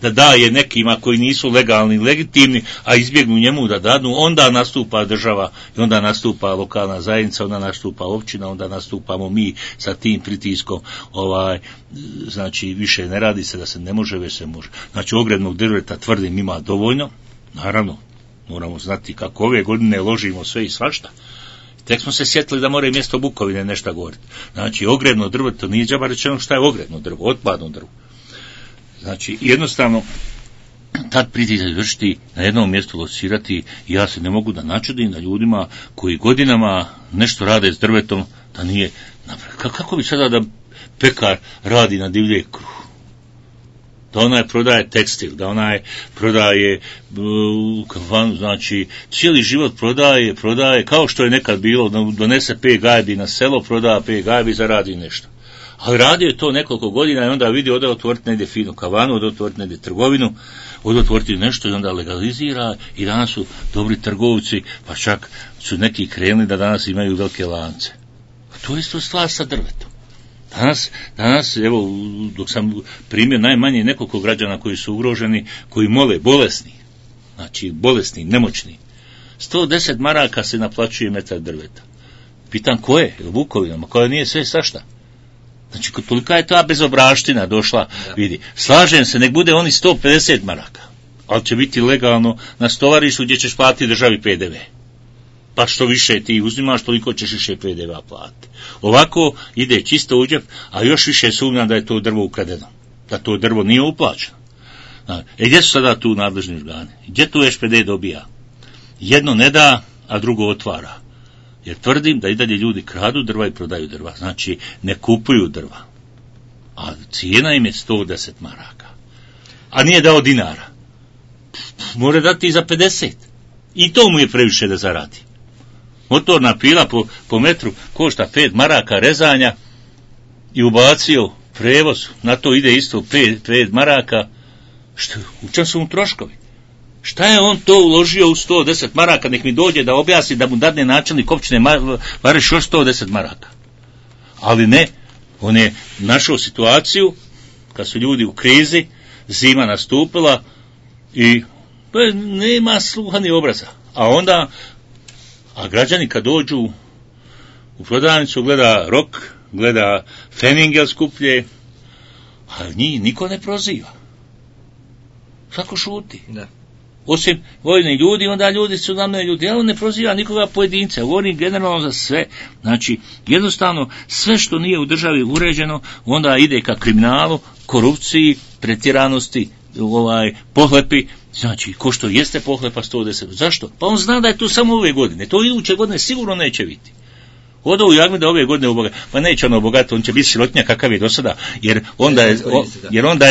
da daje nekima koji nisu legalni, legitimni, a izbjegnu njemu da dadnu, onda nastupa država, i onda nastupa lokalna zajednica, onda nastupa općina, onda nastupamo mi sa tim pritiskom, znači više ne radi se da se ne može, već se može. Znači ogrjevnog drveta, tvrdim, ima dovoljno, naravno, moramo znati kako ove godine ložimo sve i svašta. Tek smo se sjetili da mora mjesto Bukovine nešto govoriti. Znači, ogrjevno drvo, to nije džaba rečeno šta je ogrjevno drvo, otpadno drvo. Znači, jednostavno, tad pritisak izvršiti, na jednom mjestu locirati, i ja se ne mogu da načudim na ljudima koji godinama nešto rade s drvetom, da nije napravljeno. Kako bi sada da pekar radi na divlje kruh? Da onaj prodaje tekstil, da onaj prodaje kafanu, znači cijeli život prodaje, kao što je nekad bilo, donese 5 gajbi na selo, prodaje 5 gajbi, zaradi nešto. Ali radio je to nekoliko godina i onda vidi ode otvoriti negdje finu kavanu, ode otvoriti negdje trgovinu, ode otvoriti nešto i onda legalizira, i danas su dobri trgovci, pa čak su neki krenuli da danas imaju velike lance. A to je isto stvar sa drvetom. Danas, evo, dok sam primjer najmanje nekoliko građana koji su ugroženi, koji mole, bolesni, nemoćni. 110 maraka se naplaćuje metar drveta. Pitam koje? Vukovinama, koja nije sve sašta. Znači, tolika je ta bezobraština došla, vidi. Slažem se, nek bude oni 150 maraka, ali će biti legalno na stovarištu gdje ćeš platiti državi PDV. Pa što više ti uzimaš, toliko ćeš više PDV-a platiti. Ovako ide čisto u džep, a još više sumnjam da je to drvo ukradeno, da to drvo nije uplaćeno. Gdje su sada tu nadležni organi? Gdje tu ŠPD dobija? Jedno ne da, a drugo otvara. Jer tvrdim da i dalje ljudi kradu drva i prodaju drva. Znači, ne kupuju drva. A cijena im je 110 maraka. A nije dao dinara. More dati i za 50. I to mu je previše da zaradi. Motorna pila po metru košta 5 maraka rezanja i ubacio prevoz, na to ide isto 5 maraka. U čem su mu troškovi? Šta je on to uložio u 110 maraka? Nek mi dođe da objasni, da mu dadne načelnik općine Vareš još 110 maraka. Ali ne, on je našao situaciju kad su ljudi u krizi, zima nastupila i nema sluha ni obraza. A građani kad dođu u prodavnicu, gleda rok, gleda Feningel skuplje, a njih niko ne proziva. Svako šuti. Da. Osim vojni ljudi, onda ljudi su namne ljudi, ali on ne proziva nikoga pojedinca, govorim generalno za sve. Znači, jednostavno, sve što nije u državi uređeno, onda ide ka kriminalu, korupciji, pretjeranosti, pohlepi. Znači, ko što jeste pohlepa 110. Zašto? Pa on zna da je to samo ove godine. To iduće godine sigurno neće biti. Odo u Jagme da ove godine obogat. Pa neće ono obogat, on će biti sirotinja kakav je do sada. Jer onda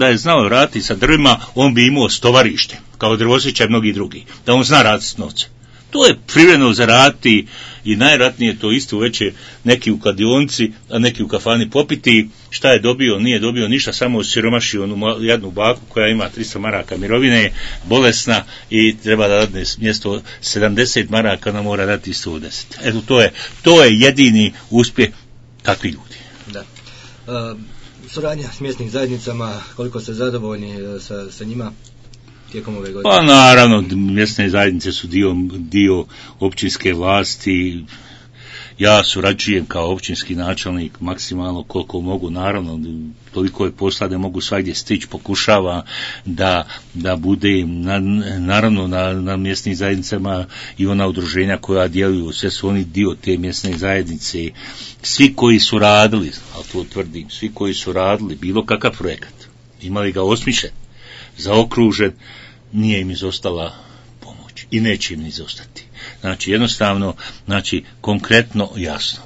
je znao raditi sa drvima, on bi imao stovarište, kao drvosića i mnogi drugi. Da on zna raditi s novcem. To je privremeno zaraditi i najratnije to isto veće neki u kladionci, a neki u kafani popiti. Šta je dobio? Nije dobio ništa, samo siromašio onu jednu baku koja ima 300 maraka mirovine, bolesna i treba da dadne mjesto 70 maraka, ona mora dati 110. Eto, to je jedini uspjeh takvi ljudi. Da. Suradnja s mjesnim zajednicama, koliko ste zadovoljni sa njima tijekom ove godine? Pa naravno, mjesne zajednice su dio općinske vlasti. Ja surađujem kao općinski načelnik maksimalno koliko mogu, naravno, toliko je posla da mogu svagdje stići, pokušava da bude, naravno na mjesnim zajednicama i ona udruženja koja djeluju, sve su oni dio te mjesne zajednice. Svi koji su radili, ali to tvrdim, svi koji su radili bilo kakav projekat, imali ga osmišljen, zaokružen, nije im izostala pomoć. i neće im ni izostati. Znači jednostavno, znači konkretno, jasno.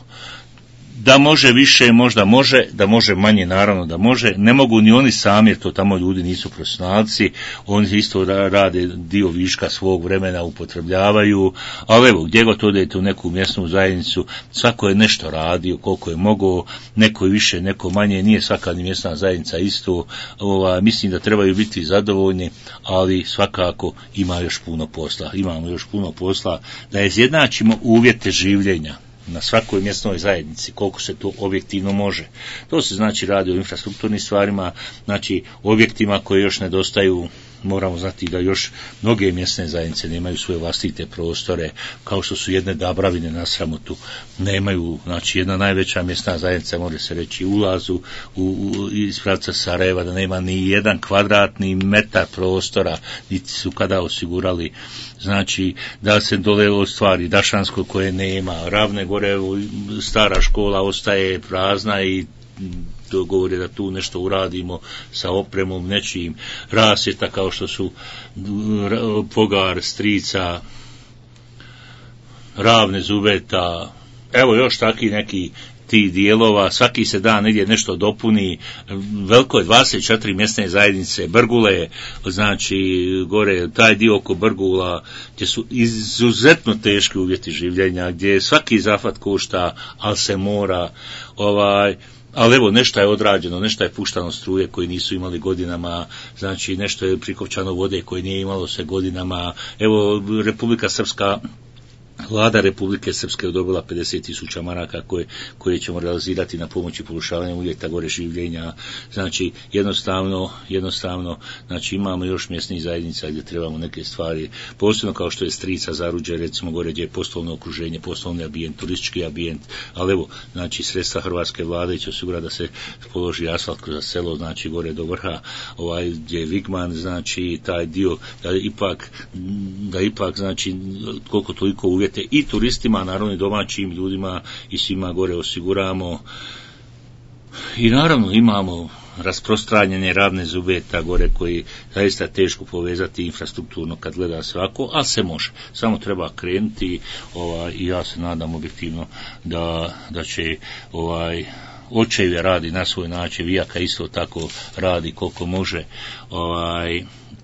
Da može više, možda može, da može manje, naravno da može, ne mogu ni oni sami, jer to tamo ljudi nisu profesionalci, oni isto rade dio viška svog vremena, upotrebljavaju, ali evo, gdje god odete u neku mjesnu zajednicu, svako je nešto radio, koliko je mogao, neko više, neko manje, nije svaka ni mjesna zajednica isto, mislim da trebaju biti zadovoljni, ali svakako imamo još puno posla, da izjednačimo uvjete življenja na svakoj mjesnoj zajednici, koliko se to objektivno može. To se znači radi o infrastrukturnim stvarima, znači objektima koje još nedostaju. Moramo znati da još mnoge mjesne zajednice nemaju svoje vlastite prostore, kao što su jedne Dabravine na Sramotu, nemaju, znači jedna najveća mjesna zajednica, može se reći, ulazu iz pravca Sarajeva, da nema ni jedan kvadratni metar prostora, niti su kada osigurali, znači da se dole ostvari Dašansko koje nema, Ravne gore, stara škola ostaje prazna i govori da tu nešto uradimo sa opremom, nečijim, rasvjeta kao što su Pogar, Strica, Ravne, Zubeta, evo još taki neki tih dijelova, svaki se dan negdje nešto dopuni, veliko je 24 mjesne zajednice, Brgule, znači gore, taj dio oko Brgula, gdje su izuzetno teški uvjeti življenja, gdje svaki zahvat košta, ali se mora, ali evo nešto je odrađeno, nešto je puštano struje koji nisu imali godinama, znači nešto je prikopčano vode koje nije imalo se godinama, evo Republika Srpska, Vlada Republike Srpske odobrila 50.000 maraka koje ćemo realizirati na pomoći poboljšavanja uvjeta gore življenja. Znači jednostavno znači imamo još mjesnih zajednica gdje trebamo neke stvari, posebno kao što je Strica, Zaruđe, recimo gore gdje je poslovno okruženje, poslovni ambijent, turistički ambijent, ali evo, znači sredstva hrvatske vlade će osigurati da se položi asfalt kroz selo, znači gore do vrha, gdje je Vigman, znači taj dio da ipak znači koliko toliko uvjeta i turistima, naravno i domaćim ljudima i svima gore osiguramo. I naravno imamo rasprostranjene Ravne, Zubeta gore koji zaista teško povezati infrastrukturno kad gleda svako, ali se može. Samo treba krenuti i ja se nadam objektivno da će Očevje radi na svoj način, Vijaka isto tako radi koliko može.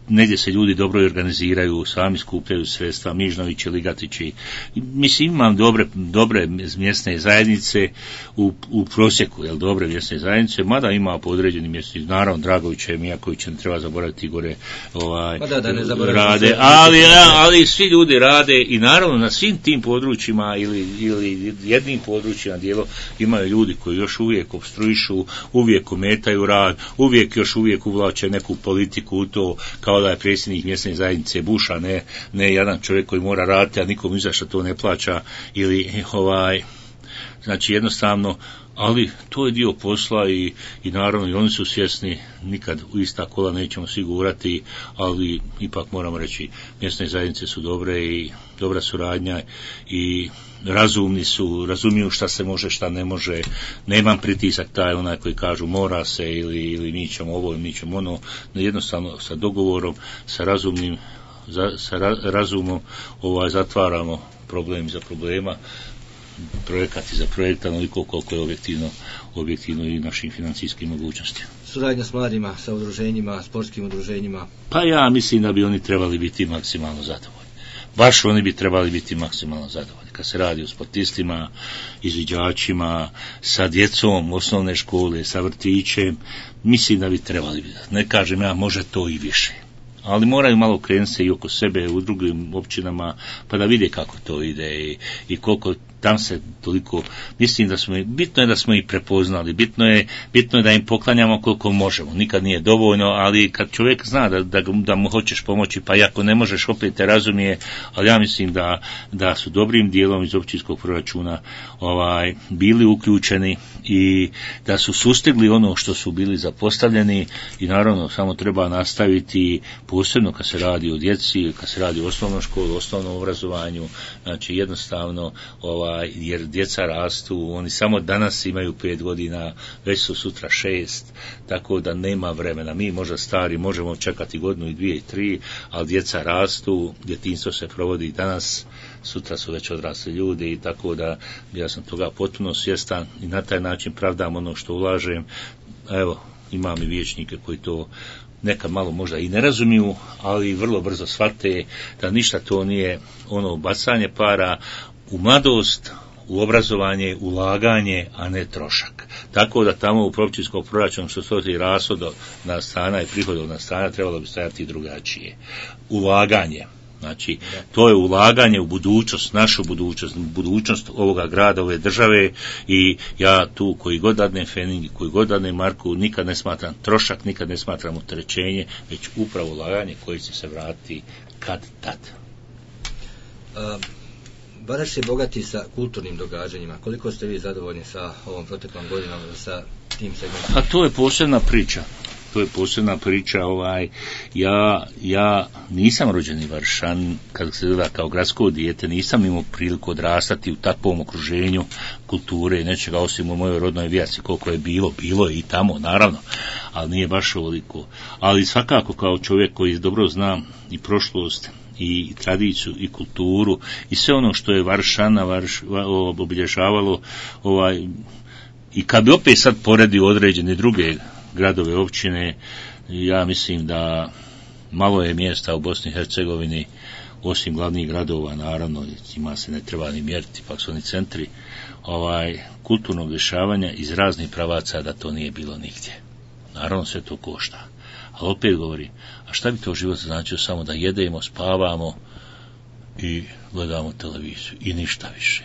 Negdje se ljudi dobro organiziraju, sami skupljaju sredstva, Mižnovići, Ligatići. Mislim, imam dobre mjesne zajednice u prosjeku, dobre mjesne zajednice, mada ima po određenim mjesnim, naravno Dragovića i Mijakovića ne treba zaboraviti gore rade, ali svi ljudi rade i naravno na svim tim područjima ili jednim područjima dijelo imaju ljudi koji još uvijek opstruišu, uvijek ometaju rad, uvijek uvlače neku politiku u to, kao da je predsjednik mjesne zajednice Buša, ne jedan čovjek koji mora raditi, a nikom izašta to ne plaća, ili znači jednostavno, ali to je dio posla i naravno i oni su svjesni, nikad u ista kola nećemo sigurati, ali ipak moramo reći, mjesne zajednice su dobre i dobra suradnja i razumni su, razumiju šta se može, šta ne može, nemam pritisak taj onaj koji kažu mora se ili mi ćemo ovo ili mi ćemo ono, jednostavno sa dogovorom, sa razumom zatvaramo problem za problema, projekat za projekta, onoliko koliko je objektivno i našim financijskim mogućnostima. Suradnja s mladima, sa udruženjima, sportskim udruženjima? Pa ja mislim da bi oni trebali biti maksimalno zadovoljni. Baš oni bi trebali biti maksimalno zadovoljni. Kad se radi o sportistima, izviđačima, sa djecom osnovne škole, sa vrtićem, mislim da bi trebali biti. Ne kažem ja, može to i više. Ali moraju malo krenuti se i oko sebe u drugim općinama, pa da vide kako to ide i koliko tam se toliko, mislim da bitno je da smo ih prepoznali, bitno je da im poklanjamo koliko možemo, nikad nije dovoljno, ali kad čovjek zna da mu hoćeš pomoći, pa i ako ne možeš, opet te razumije, ali ja mislim da su dobrim dijelom iz općinskog proračuna bili uključeni i da su sustigli ono što su bili zapostavljeni i naravno samo treba nastaviti, posebno kad se radi o djeci, kad se radi o osnovnoj školi, osnovnom obrazovanju, znači jednostavno jer djeca rastu, oni samo danas imaju 5 godina, već su sutra 6, tako da nema vremena. Mi možda stari možemo čekati godinu i 2 i 3, ali djeca rastu, djetinjstvo se provodi danas, sutra su već odrasli ljudi, i tako da ja sam toga potpuno svjestan i na taj način pravdam ono što ulažem. Evo, imam i vijećnike koji to nekad malo možda i ne razumiju, ali vrlo brzo shvate da ništa to nije ono bacanje para u mladost, u obrazovanje, ulaganje, a ne trošak. Tako da tamo u općinskom proračunu što stoji rashodovna strana i prihodovna strana trebalo bi stajati drugačije. Ulaganje. Znači, to je ulaganje u budućnost, našu budućnost, budućnost ovoga grada, ove države, i ja tu koji god dadnem Feningi, koji god dadnem Marku, nikad ne smatram trošak, nikad ne smatram opterećenje, već upravo ulaganje koje će se vratiti kad tad. Vareš je bogati sa kulturnim događanjima. Koliko ste vi zadovoljni sa ovom proteklom godinom, sa tim segmentom? A to je posebna priča. To je posebna priča. Ja nisam rođeni Varšan, kad se gleda kao gradsko dijete, nisam imao priliku odrastati u takvom okruženju kulture i nečega, osim u mojoj rodnoj Vijaci. Koliko je bilo je i tamo, naravno, ali nije baš ovoliko. Ali svakako kao čovjek koji dobro zna i prošlost i tradiciju i kulturu i sve ono što je Varšana obilježavalo, i kad bi opet sad poredio određene druge gradove, općine, ja mislim da malo je mjesta u Bosni i Hercegovini, osim glavnih gradova, naravno, ima se ne treba ni mjeriti, pak su oni centri kulturnog dešavanja iz raznih pravaca, da to nije bilo nigdje. Naravno sve to košta. Ali opet govorim, a šta bi to život značio samo da jedemo, spavamo i gledamo televiziju i ništa više.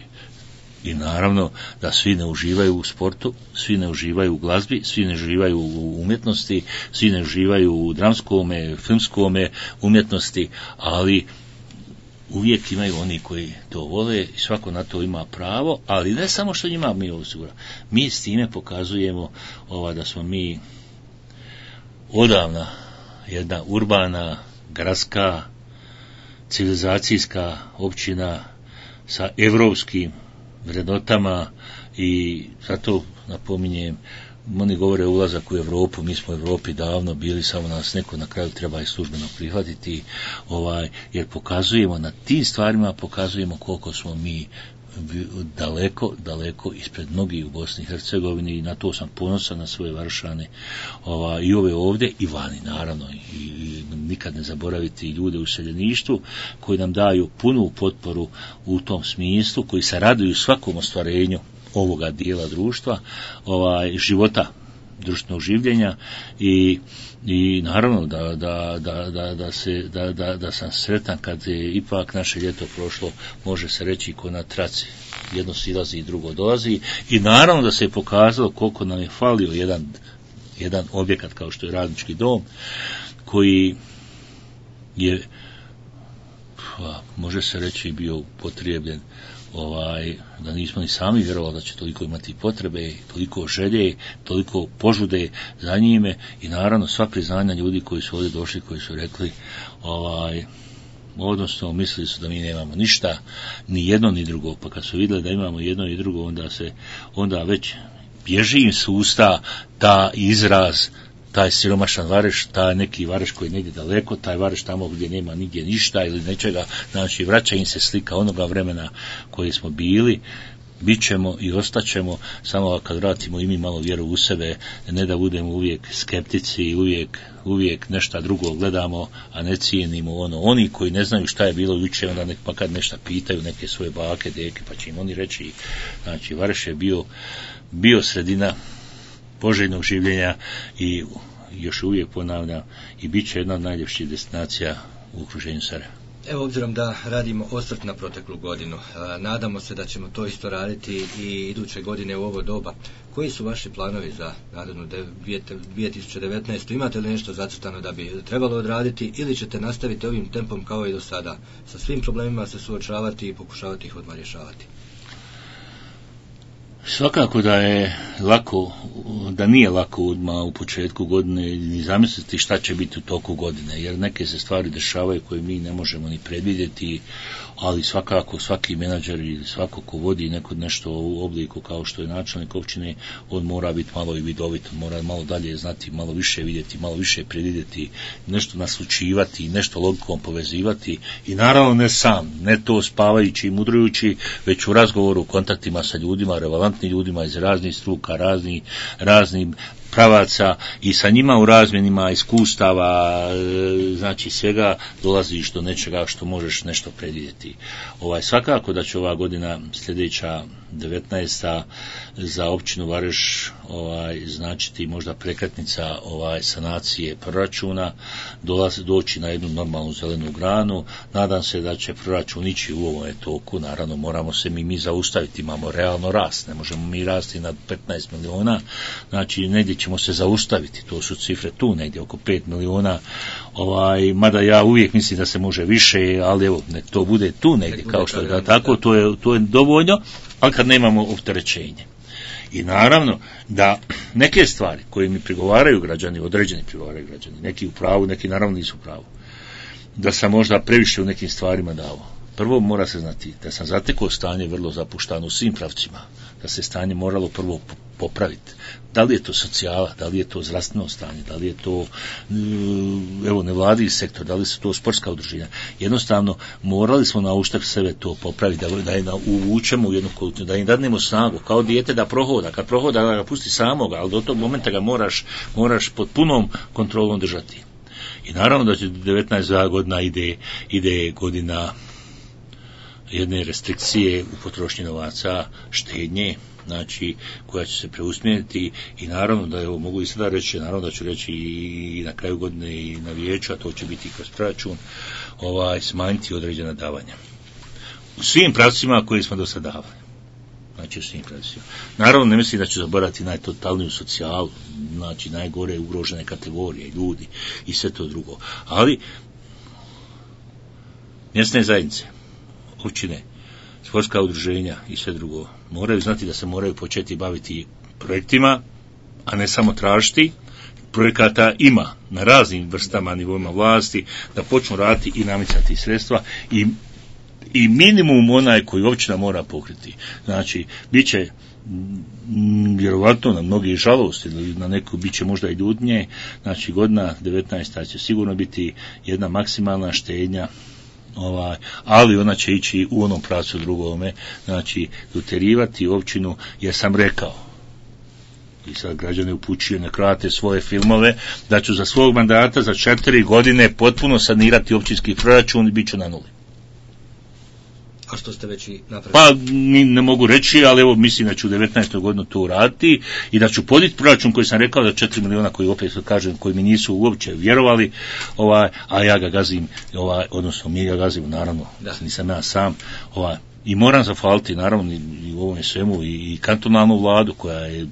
I naravno da svi ne uživaju u sportu, svi ne uživaju u glazbi, svi ne uživaju u umjetnosti, svi ne uživaju u dramskome, filmskome umjetnosti, ali uvijek imaju oni koji to vole i svako na to ima pravo, ali ne samo što njima mi osiguramo. Mi s time pokazujemo da smo mi odavna jedna urbana, gradska, civilizacijska općina sa evropskim vrednotama, i zato napominjem, oni govore ulazak u Europu, mi smo u Europi davno bili, samo nas neko na kraju treba i službeno prihvatiti, jer na tim stvarima pokazujemo koliko smo mi daleko ispred mnogih u Bosni i Hercegovini, i na to sam ponosan, na svoje Varšane, i ove ovdje i vani, naravno, i nikad ne zaboraviti ljude u useljeništvu koji nam daju punu potporu u tom smislu, koji se raduju svakom ostvarenju ovoga dijela društva, života, društvenog življenja, i naravno da sam sretan kad je ipak naše ljeto prošlo, može se reći ko na traci, jedno silazi i drugo dolazi, i naravno da se je pokazalo koliko nam je falio jedan objekat kao što je Radnički dom, koji je, može se reći, bio upotrebljen, da nismo ni sami vjerovali da će toliko imati potrebe, toliko želje, toliko požude za njime, i naravno sva priznanja ljudi koji su ovdje došli, koji su rekli, odnosno mislili su da mi nemamo ništa, ni jedno ni drugo, pa kad su vidjeli da imamo jedno i drugo, onda već bježi im s usta ta izraz, taj siromašan Vareš, taj neki Vareš koji je negdje daleko, taj Vareš tamo gdje nema nigdje ništa ili nečega, znači vraća im se slika onoga vremena koje smo bili, bit ćemo i ostaćemo, samo kad vratimo i mi malo vjeru u sebe, ne da budemo uvijek skeptici i uvijek nešto drugo gledamo, a ne cijenimo oni koji ne znaju šta je bilo jučer, onda pa kad nešto pitaju neke svoje bake, deke, pa će im oni reći, znači Vareš je bio sredina poželjnog življenja, i još uvijek ponavljam, i bit će jedna od najljepših destinacija u okruženju Sarajeva. Evo, obzirom da radimo osvrt na proteklu godinu, nadamo se da ćemo to isto raditi i iduće godine u ovo doba. Koji su vaši planovi za narednu 2019. Imate li nešto zacrtano da bi trebalo odraditi, ili ćete nastaviti ovim tempom kao i do sada, sa svim problemima se suočavati i pokušavati ih odmah rješavati? Svakako da je da nije lako u početku godine ni zamisliti šta će biti u toku godine, jer neke se stvari dešavaju koje mi ne možemo ni predvidjeti, ali svakako svaki menadžer ili svako ko vodi nešto u obliku kao što je načelnik općine, on mora biti malo i vidovit, mora malo dalje znati, malo više vidjeti, malo više predvidjeti, nešto naslučivati, nešto logikom povezivati i naravno ne sam, ne to spavajući i mudrujući, već u razgovoru, kontaktima sa ljudima, relevantnim ljudima iz raznih struka, raznih pravaca i sa njima u razmjenima iskustava, znači svega dolaziš do nečega što možeš nešto predvidjeti. Svakako da će ova godina sljedeća 19. za općinu Vareš značiti možda prekretnica sanacije proračuna, doći na jednu normalnu zelenu granu. Nadam se da će proračun ići u ovom toku, naravno moramo se mi zaustaviti, imamo realno rast, ne možemo mi rasti na 15 miliona, znači negdje ćemo se zaustaviti, to su cifre tu negdje oko 5 miliona, mada ja uvijek mislim da se može više, ali evo, nek to bude tu negdje, kao što je da tako, to je dovoljno, ali kad nemamo opterećenje. I naravno da neke stvari koje mi prigovaraju građani, određeni prigovaraju građani, neki u pravu, neki naravno nisu u pravu, da sam možda previše u nekim stvarima dao. Prvo mora se znati da sam zatekao stanje vrlo zapuštano u svim pravcima, da se stanje moralo prvo popraviti. Da li je to socijala, da li je to zdravstveno stanje, da li je to nevladin sektor, da li su to sportska udruženja. Jednostavno morali smo na uštrb sebe to popraviti, da je uvučemo u jednu količinu, da im dadnemo snagu, kao dijete da prohoda, kad prohoda da ga pusti samoga, ali do tog momenta ga moraš pod punom kontrolom držati. I naravno da će 19. godina ide godina jedne restrikcije u potrošnji novaca, štednje, znači koja će se preusmjeriti i naravno da mogu i sada reći, naravno da ću reći i na kraju godine i na vijeću, a to će biti kroz proračun, smanjiti određena davanja. U svim pravcima koji smo do sada davali. Znači u svim pravcima. Naravno ne mislim da ću zaboraviti najtotalniju socijalu, znači najgore ugrožene kategorije, ljudi i sve to drugo. Ali mjesne zajednice, općine, sportska udruženja i sve drugo moraju znati da se moraju početi baviti projektima, a ne samo tražiti. Projekata ima na raznim vrstama, nivoima vlasti, da počnu raditi i namicati sredstva i minimum onaj koji općina mora pokriti. Znači, bit će vjerovatno na mnogi žalosti, na neku bit će možda i ljudnje, znači godina 19. će sigurno biti jedna maksimalna štednja, ali ona će ići u onom pravcu drugome, znači doterivati općinu, jer sam rekao, i sad građane upućuju na krate svoje filmove, da ću za svog mandata za 4 godine potpuno sanirati općinski proračun i bit ću na nuli. A što ste već i napravili? Pa ne mogu reći, ali evo mislim da ću u 19. godinu to uraditi i da ću poditi proračun koji sam rekao da 4 miliona koji opet kažem, koji mi nisu uopće vjerovali, a ja ga gazim, odnosno mi ga gazimo, naravno, nisam ja sam, i moram zahvaliti naravno i u ovom svemu i kantonalnu vladu koja je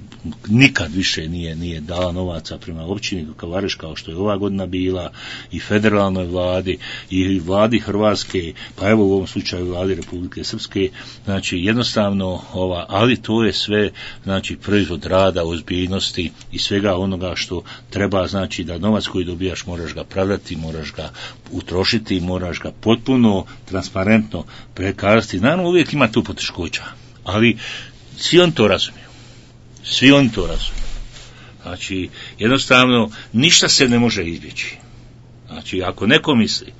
nikad više nije dala novaca prema općini Vareš kao što je ova godina bila, i federalnoj vladi i vladi Hrvatske, pa evo u ovom slučaju vladi Republike Srpske, znači jednostavno ali to je sve znači proizvod rada, ozbiljnosti i svega onoga što treba, znači da novac koji dobijaš moraš ga pravdati, moraš ga utrošiti, moraš ga potpuno transparentno prekazati. Naravno uvijek ima tu poteškoća, ali svi oni to razumiju. Znači, jednostavno, ništa se ne može izbjeći. Znači, ako neko misli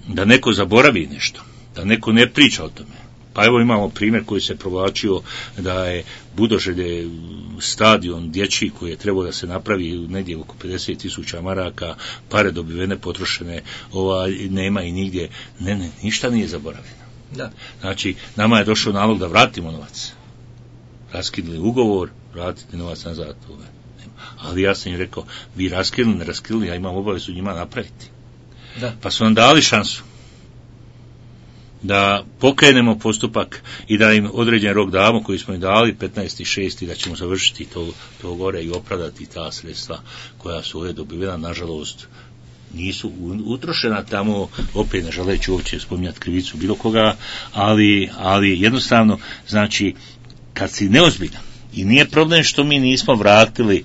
da neko zaboravi nešto, da neko ne priča o tome, pa evo imamo primjer koji se provlačio da je Budoželje stadion dječji koji je trebao da se napravi negdje oko 50.000 maraka, pare dobivene, potrošene, nema i nigdje, ništa nije zaboravljeno. Da. Znači, nama je došao nalog da vratimo novac. Raskinuli ugovor, vratiti novac nazad. Ali ja sam im rekao, vi raskinuli, ne raskinuli, ja imam obavezu njima napraviti. Da. Pa su nam dali šansu da pokrenemo postupak i da im određen rok damo koji smo im dali 15.6. da ćemo završiti to gore i opravdati ta sredstva koja su ovdje dobivena, nažalost nisu utrošena tamo, opet ne želeći uopće spominjati krivicu bilo koga, ali jednostavno, znači, kad si neozbiljan, I nije problem što mi nismo vratili,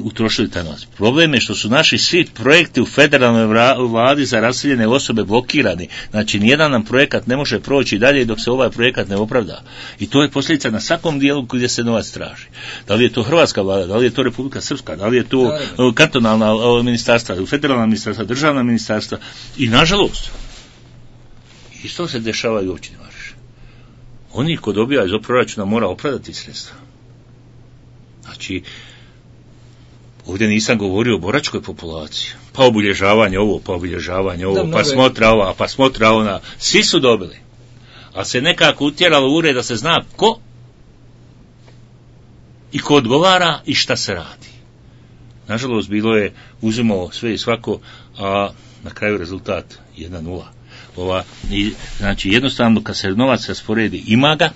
utrošili taj novac. Problem je što su naši svi projekti u federalnoj vladi za raseljene osobe blokirani. Znači, nijedan nam projekat ne može proći dalje dok se ovaj projekat ne opravda. I to je posljedica na svakom dijelu gdje se novac traži. Da li je to hrvatska vlada, da li je to Republika Srpska, da li je to kantonalna ministarstva, federalna ministarstva, državna ministarstva. I nažalost, isto se dešava i u općini Vareš. Oni ko dobija iz proračuna mora opravdati sredstva. Znači, ovdje nisam govorio o boračkoj populaciji. Pa obilježavanje ovo, pa smotra ova, pa smotra ona. Svi su dobili. A se nekako utjeralo u ured da se zna ko i ko odgovara i šta se radi. Nažalost, bilo je uzimao sve i svako, a na kraju rezultat 1-0. Znači, jednostavno, kad se novac rasporedi, ima ga.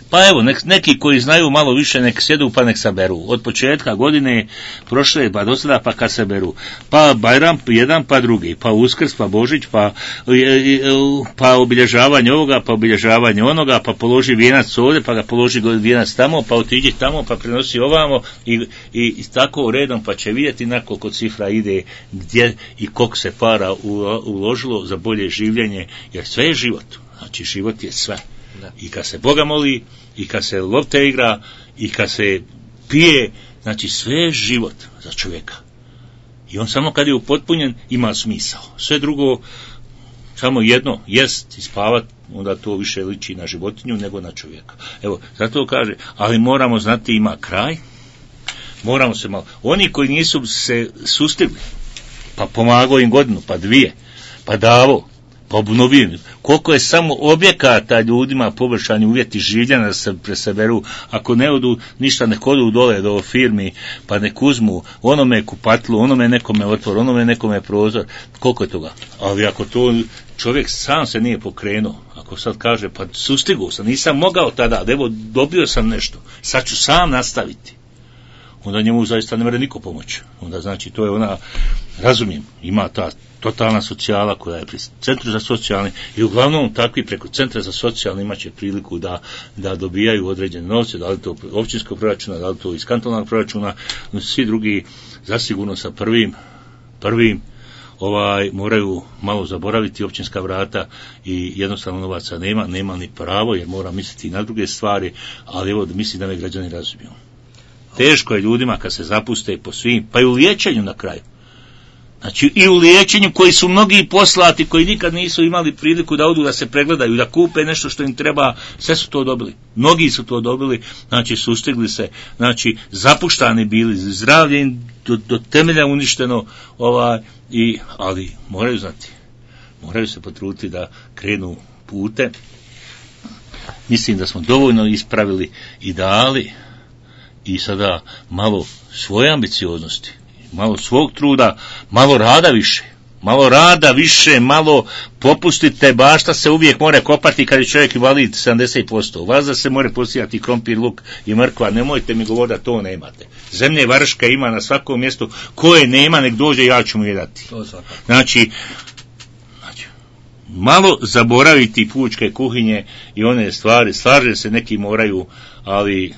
Pa evo, neki koji znaju malo više, nek sjedu pa nek saberu. Od početka godine prošle, pa do sada, pa kad saberu. Pa Bajram jedan, pa drugi, pa Uskrs, pa Božić, pa obilježavanje ovoga, pa obilježavanje onoga, pa položi vijenac ovdje, pa ga položi vijenac tamo, pa otiđi tamo, pa prenosi ovamo i tako redom, pa će vidjeti na koliko cifra ide, gdje i koliko se para uložilo za bolje življenje, jer sve je život. Znači, život je sve. Da. I kad se Boga moli, i kad se lopte igra, i kad se pije, znači sve je život za čovjeka. I on samo kad je upotpunjen ima smisao. Sve drugo, samo jedno, jest i spavat, onda to više liči na životinju nego na čovjeka. Evo, zato kaže, ali moramo znati ima kraj, moramo se malo, oni koji nisu se sustigli, pa pomagao im godinu, pa dvije, pa davo, pa obnovim. Koliko je samo objekata ljudima poboljšani uvjeti življenja da se presaberu, ako ne odu ništa, nek odu dole do firmi, pa nek uzmu onome kupatlu, onome nekome otvor, onome nekome prozor, koliko je toga. Ali ako to čovjek sam se nije pokrenuo, ako sad kaže, pa sustigao sam, nisam mogao tada, evo dobio sam nešto, sad ću sam nastaviti, onda njemu zaista ne može niko pomoći. Onda znači to je ona, razumijem, ima ta totalna socijala koja je pri centru za socijalni i uglavnom takvi preko centra za socijalni imat će priliku da dobijaju određene novce, da li to općinskog proračuna, da li to iz kantonalnog proračuna, svi drugi zasigurno sa prvim moraju malo zaboraviti općinska vrata i jednostavno novaca nema ni pravo jer mora misliti na druge stvari, ali evo mislim da me građani razumiju. Teško je ljudima kad se zapuste po svim, pa i u liječenju na kraju. Znači i u liječenju koji su mnogi poslati, koji nikad nisu imali priliku da odu da se pregledaju, da kupe nešto što im treba, sve su to dobili. Mnogi su to dobili, znači sustigli se, znači zapuštani bili, zdravlje im do temelja uništeno, ali moraju znati, moraju se potruditi da krenu pute. Mislim da smo dovoljno ispravili i dali i sada malo svoje ambicioznosti, malo svog truda, malo rada više, malo popustite, bašta se uvijek more kopati kad je čovjek invalid 70%. Vazda se more posijati krompir, luk i mrkva, nemojte mi govoriti da to nemate. Zemlje Varška ima na svakom mjestu, koje nema, nek dođe, ja ću mu je dati. Znači, malo zaboraviti pučke kuhinje i one stvari, slaže se neki moraju, ali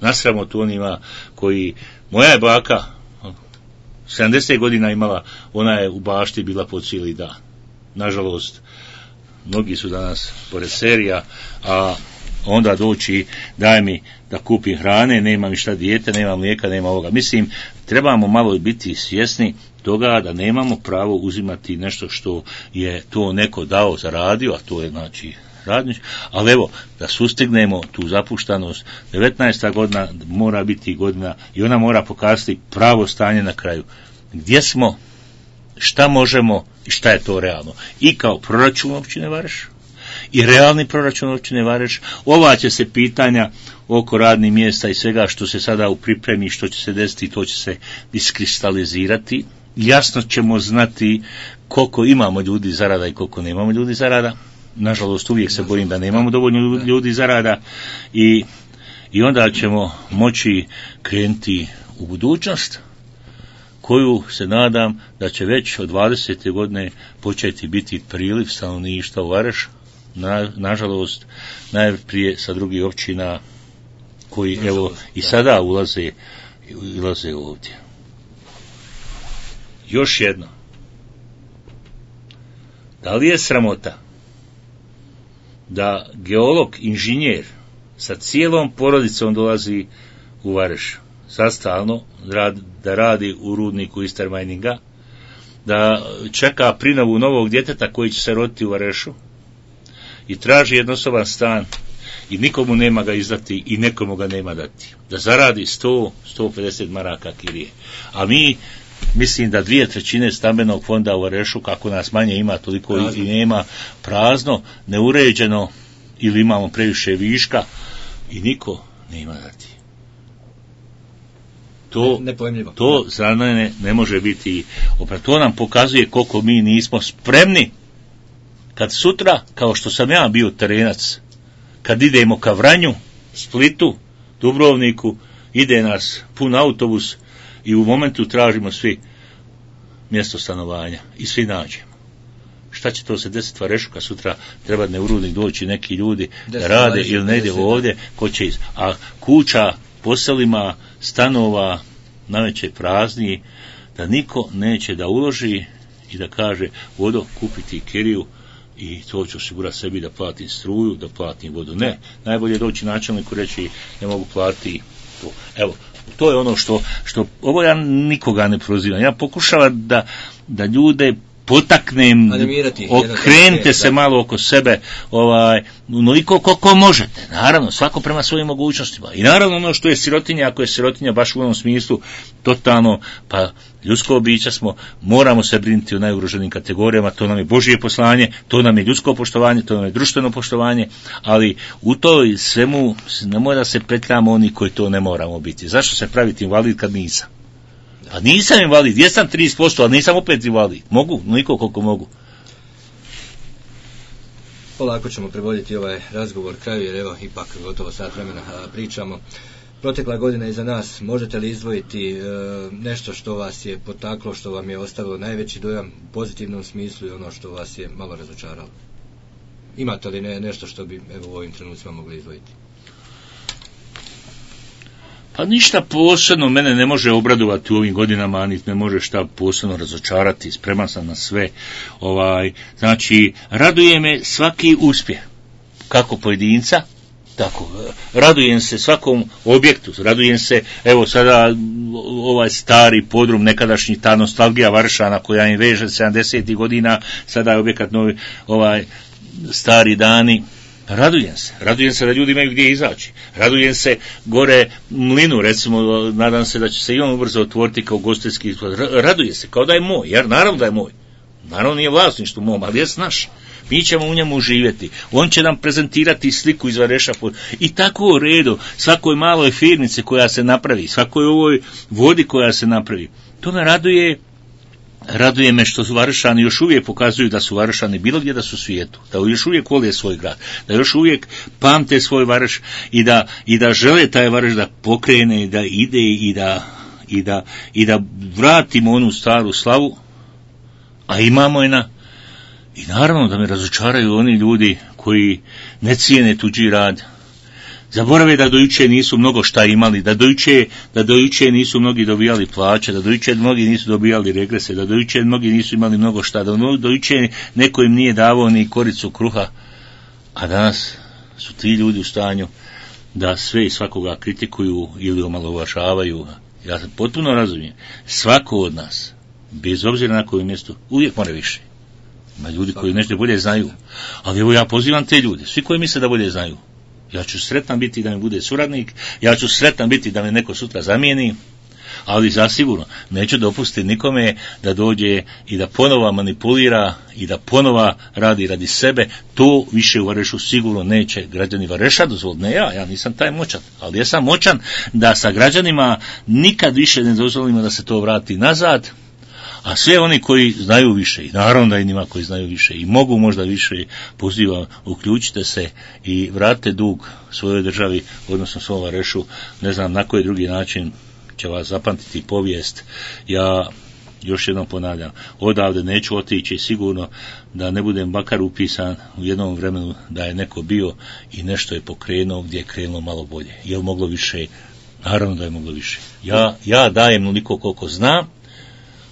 nasramo tu onima koji, moja je baka 70 godina imala, ona je u bašti bila po cijeli dan. Nažalost, mnogi su danas pored serija, a onda doći, daj mi da kupim hrane, nema mi šta dijete, nema mlijeka, nema ovoga. Mislim, trebamo malo biti svjesni toga da nemamo pravo uzimati nešto što je to neko dao, zaradio, a to je znači radnič, ali evo, da sustignemo tu zapuštanost, 19. godina mora biti godina i ona mora pokazati pravo stanje na kraju. Gdje smo, šta možemo i šta je to realno. I kao proračun općine Vareš, i realni proračun općine Vareš, ova će se pitanja oko radnih mjesta i svega što se sada u pripremi, što će se desiti, to će se iskristalizirati. Jasno ćemo znati koliko imamo ljudi zarada i koliko nemamo ljudi zarada. Nažalost, uvijek se bojim da nemamo dovoljno ljudi zarada i onda ćemo moći krenuti u budućnost koju se nadam da će već od 20. godine početi biti priliv stanovništva u Vareš, nažalost najprije sa drugih općina koji evo i sada ulaze ovdje. Još jedno. Da li je sramota da geolog, inženjer sa cijelom porodicom dolazi u Vareš sastalno da radi u rudniku Istermajninga, da čeka prinovu novog djeteta koji će se roditi u Varešu i traži jednosoban stan i nikomu nema ga izdati i nekomu ga nema dati, da zaradi 100-150 maraka kirije. A mi, mislim da 2/3 stambenog fonda u Varešu, kako nas manje ima, toliko i nema, prazno, neuređeno, ili imamo previše viška i niko nema dati. To za mene ne može biti. To nam pokazuje koliko mi nismo spremni kad sutra, kao što sam ja bio terenac, kad idemo ka Vranju, Splitu, Dubrovniku, ide nas pun autobus i u momentu tražimo svi mjesto stanovanja i svi nađemo. Šta će to se desiti Varešu kad sutra treba ne u rudnik doći neki ljudi da rade ili ne ide ovdje, ko će a kuća po selima, stanova naveće prazni, da niko neće da uloži i da kaže vodo kupiti kiriju i to ću osigurati sebi da platim struju, da platim vodu. Ne, najbolje doći načelniku reći ne mogu platiti to. Evo, to je ono što ovo ja nikoga ne prozivam. Ja pokušavam da ljude potaknem, okrenite se malo oko sebe, onoliko koliko možete. Naravno, svako prema svojim mogućnostima. I naravno ono što je sirotinja, ako je sirotinja baš u onom smislu totalno, pa ljudsko bića smo, moramo se brinuti o najugroženim kategorijama, to nam je Božje poslanje, to nam je ljudsko poštovanje, to nam je društveno poštovanje, ali u toj svemu nemoj da se petljamo oni koji to ne moramo biti. Zašto se praviti invalid kad nisam? A nisam invalid, jesam 30%, ali nisam opet invalid. Mogu, niko koliko mogu. Polako ćemo prevoditi ovaj razgovor kraju, jer evo, ipak gotovo sat vremena pričamo. Protekla godina iza nas, možete li izdvojiti nešto što vas je potaklo, što vam je ostavilo najveći dojam u pozitivnom smislu i ono što vas je malo razočaralo? Imate li nešto što bi evo u ovim trenucima mogli izdvojiti? Pa ništa posebno mene ne može obradovati u ovim godinama, a niti ne može šta posebno razočarati, spreman sam na sve. Znači, raduje me svaki uspjeh, kako pojedinca, tako, radujem se svakom objektu, radujem se, evo sada ovaj stari podrum, nekadašnji, ta nostalgija Varšana koja im veže 70. godina, sada je objekat novi, stari dani. Radujem se da ljudi imaju gdje izaći. Radujem se gore mlinu, recimo, nadam se da će se i on ubrzo otvoriti kao gostinski izgled. Radujem se, kao da je moj, jer naravno da je moj. Naravno nije vlasništvo mom, ali je naš. Mi ćemo u njemu živjeti. On će nam prezentirati sliku iz Vareša. I tako u redu, svakoj maloj firmici koja se napravi, svakoj ovoj vodi koja se napravi. To me raduje me što su Varešani još uvijek pokazuju da su Varešani bilo gdje da su u svijetu, da još uvijek vole svoj grad, da još uvijek pamte svoj Vareš i da žele taj Vareš da pokrene, da ide i da vratimo onu staru slavu, a imamo je i naravno da me razočaraju oni ljudi koji ne cijene tuđi rad. Zaborave da do juče nisu mnogo šta imali, da do juče nisu mnogi dobijali plaće, da do juče mnogi nisu dobijali regrese, da do juče mnogi nisu imali mnogo šta, da do juče neko im nije davao ni koricu kruha, a danas su ti ljudi u stanju da sve i svakoga kritikuju ili omalovažavaju. Ja se potpuno razumijem, svako od nas, bez obzira na kojem mjestu, uvijek mora više. Ima ljudi koji nešto bolje znaju, ali evo ja pozivam te ljude, svi koji misle da bolje znaju. Ja ću sretan biti da mi bude suradnik, ja ću sretan biti da me neko sutra zamijeni, ali zasigurno neću dopustiti nikome da dođe i da ponova manipulira i da ponova radi sebe. To više u Varešu sigurno neće građani Vareša dozvoliti. Ne ja nisam taj moćan, ali ja sam moćan da sa građanima nikad više ne dozvolimo da se to vrati nazad. A sve oni koji znaju više, i naravno da i njima koji znaju više i mogu možda više, pozivam, uključite se i vratite dug svojoj državi, odnosno svom Varešu. Ne znam na koji drugi način će vas zapamtiti povijest. Ja još jednom ponavljam, odavde neću otići sigurno da ne budem makar upisan u jednom vremenu da je neko bio i nešto je pokrenuo gdje je krenulo malo bolje. Je li moglo više? Naravno da je moglo više. Ja dajem onoliko koliko znam,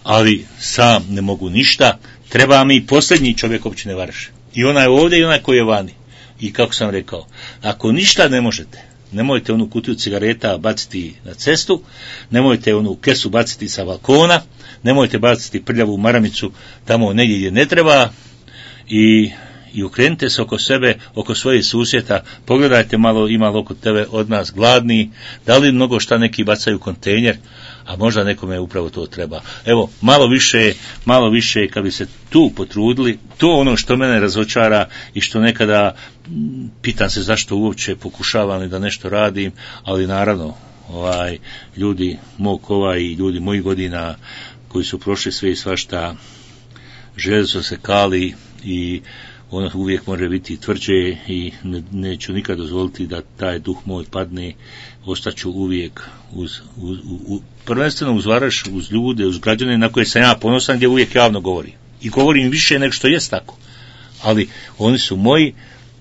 ali sam ne mogu ništa. Treba mi posljednji čovjek općine Vareš. I onaj ovdje i onaj koji je vani. I kako sam rekao, ako ništa ne možete, nemojte onu kutiju cigareta baciti na cestu, nemojte onu kesu baciti sa balkona, nemojte baciti prljavu maramicu tamo negdje gdje ne treba i okrenite se oko sebe, oko svojih susjeta, pogledajte malo, ima li oko tebe od nas gladni, da li mnogo šta neki bacaju kontejner, a možda nekome upravo to treba. Evo, malo više kad bi se tu potrudili, to ono što mene razočara i što nekada pitam se zašto uopće pokušavam da nešto radim, ali naravno, ljudi mog kova i ljudi mojih godina koji su prošli sve i svašta, želje su se kali i ono uvijek može biti tvrđe i neću nikad dozvoliti da taj duh moj padne, ostaću uvijek prvenstveno uz Varaš, uz ljude, uz građane na koje sam ja ponosan, gdje uvijek javno govorim. I govorim više nego što jest tako. Ali oni su moji,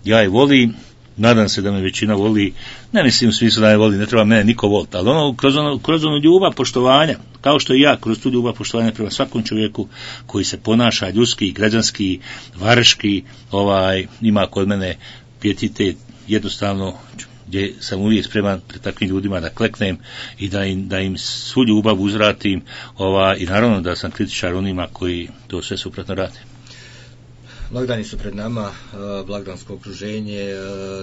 ja ih volim, nadam se da me većina voli, ne mislim u smislu da me voli, ne treba mene niko voliti, ali kroz onu ljubav poštovanja, kao što i ja kroz tu ljubav poštovanja prema svakom čovjeku koji se ponaša ljudski, građanski, vareški, ima kod mene pijetet, jednostavno gdje sam uvijek spreman pred takvim ljudima da kleknem i da im svu ljubav uzvratim, i naravno da sam kritičar onima koji to sve suprotno rade. Blagdani su pred nama, blagdansko okruženje,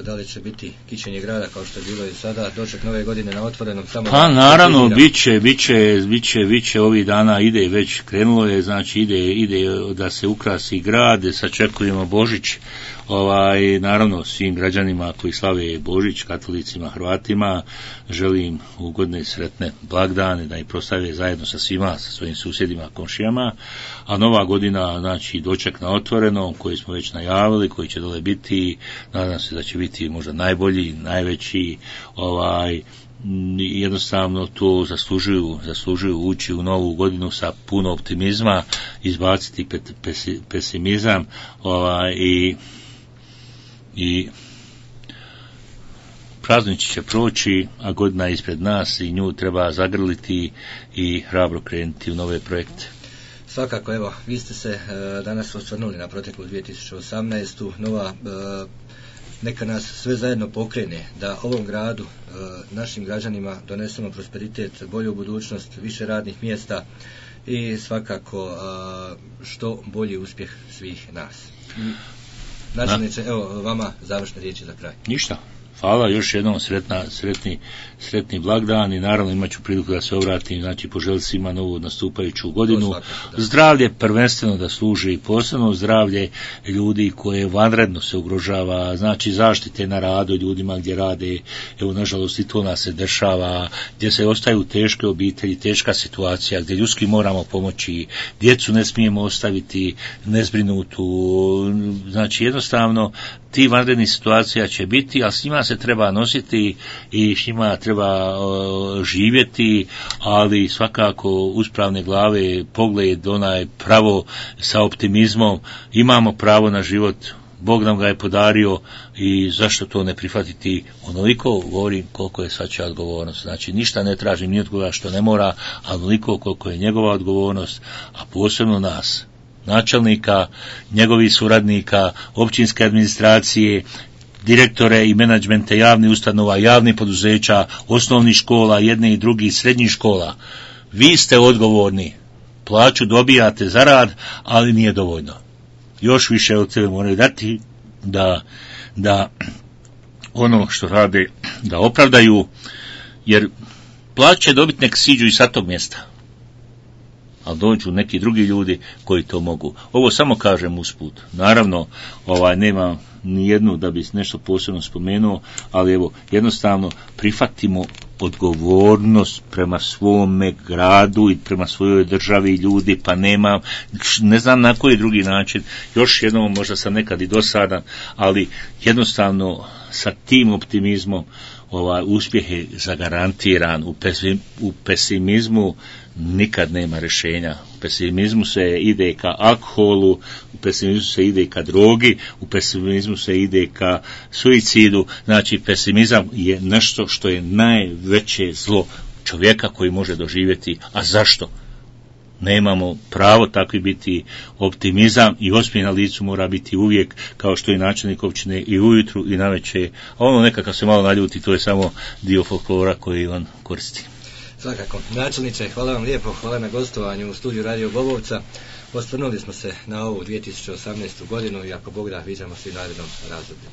da li će biti kićenje grada kao što je bilo i sada, doček nove godine na otvorenom? Pa naravno, bit će ovih dana, ide, već krenulo je, znači ide da se ukrasi grad, sačekujemo Božić, naravno svim građanima koji slave Božić, katolicima, Hrvatima, želim ugodne i sretne blagdane, da ih prostave zajedno sa svima, sa svojim susjedima, komšijama, a nova godina, znači doček na otvorenom, koji smo već najavili, koji će dole biti, nadam se da će biti možda najbolji, najveći, jednostavno to zaslužuju ući u novu godinu sa puno optimizma, izbaciti pesimizam, i praznici će proći, a godina je ispred nas i nju treba zagrliti i hrabro krenuti u nove projekte. Svakako, evo, vi ste se danas osvrnuli na proteklu 2018. Nova, neka nas sve zajedno pokrene da ovom gradu, našim građanima donesemo prosperitet, bolju budućnost, više radnih mjesta i svakako što bolji uspjeh svih nas. Načelniče, evo vama završne riječi za kraj. Ništa. Hvala, još jednom sretni blagdan i naravno imat ću priliku da se obratim, znači poželim svima novu nastupajuću godinu. Zdravlje prvenstveno da služi, posebno zdravlje ljudi koje vanredno se ugrožava, znači zaštite na radu ljudima gdje rade, evo nažalost i to nas se dešava, gdje se ostaju teške obitelji, teška situacija, gdje ljudski moramo pomoći, djecu ne smijemo ostaviti nezbrinutu, znači jednostavno ti vanredni situacija će biti, a s njima se treba nositi i s njima treba živjeti, ali svakako uspravne glave, pogled onaj pravo sa optimizmom, imamo pravo na život, Bog nam ga je podario i zašto to ne prihvatiti, onoliko govorim koliko je svačija odgovornost. Znači ništa ne tražim ni od koga što ne mora, a onoliko koliko je njegova odgovornost, a posebno nas, načelnika, njegovih suradnika, općinske administracije, direktore i menadžmente javnih ustanova, javnih poduzeća, osnovnih škola, jedne i drugih, srednjih škola. Vi ste odgovorni. Plaću dobijate za rad, ali nije dovoljno. Još više od sebe moraju dati da ono što rade da opravdaju, jer plaće dobiti nek siđu i sa tog mjesta. Ali dođu neki drugi ljudi koji to mogu. Ovo samo kažem usput. Naravno, nema ni jednu da bi nešto posebno spomenuo, ali evo, jednostavno prihvatimo odgovornost prema svome gradu i prema svojoj državi i ljudi, pa ne znam na koji drugi način, još jednom možda sam nekad i dosadan, ali jednostavno sa tim optimizmom uspjeh je zagarantiran. U pesimizmu nikad nema rješenja. U pesimizmu se ide ka alkoholu, u pesimizmu se ide ka drogi, u pesimizmu se ide ka suicidu. Znači, pesimizam je nešto što je najveće zlo čovjeka koji može doživjeti. A zašto? Nemamo pravo takvi biti. Optimizam i osmijeh na licu mora biti uvijek, kao što i načelnik općine, i ujutru i navečer. A ono nekakav se malo naljuti, to je samo dio folklora koji on koristi. Svakako. Načelniče, hvala vam lijepo, hvala na gostovanju u studiju Radio Bobovca. Osvrnuli smo se na ovu 2018. godinu i ako Bog da, viđamo se i u narednom razdoblju.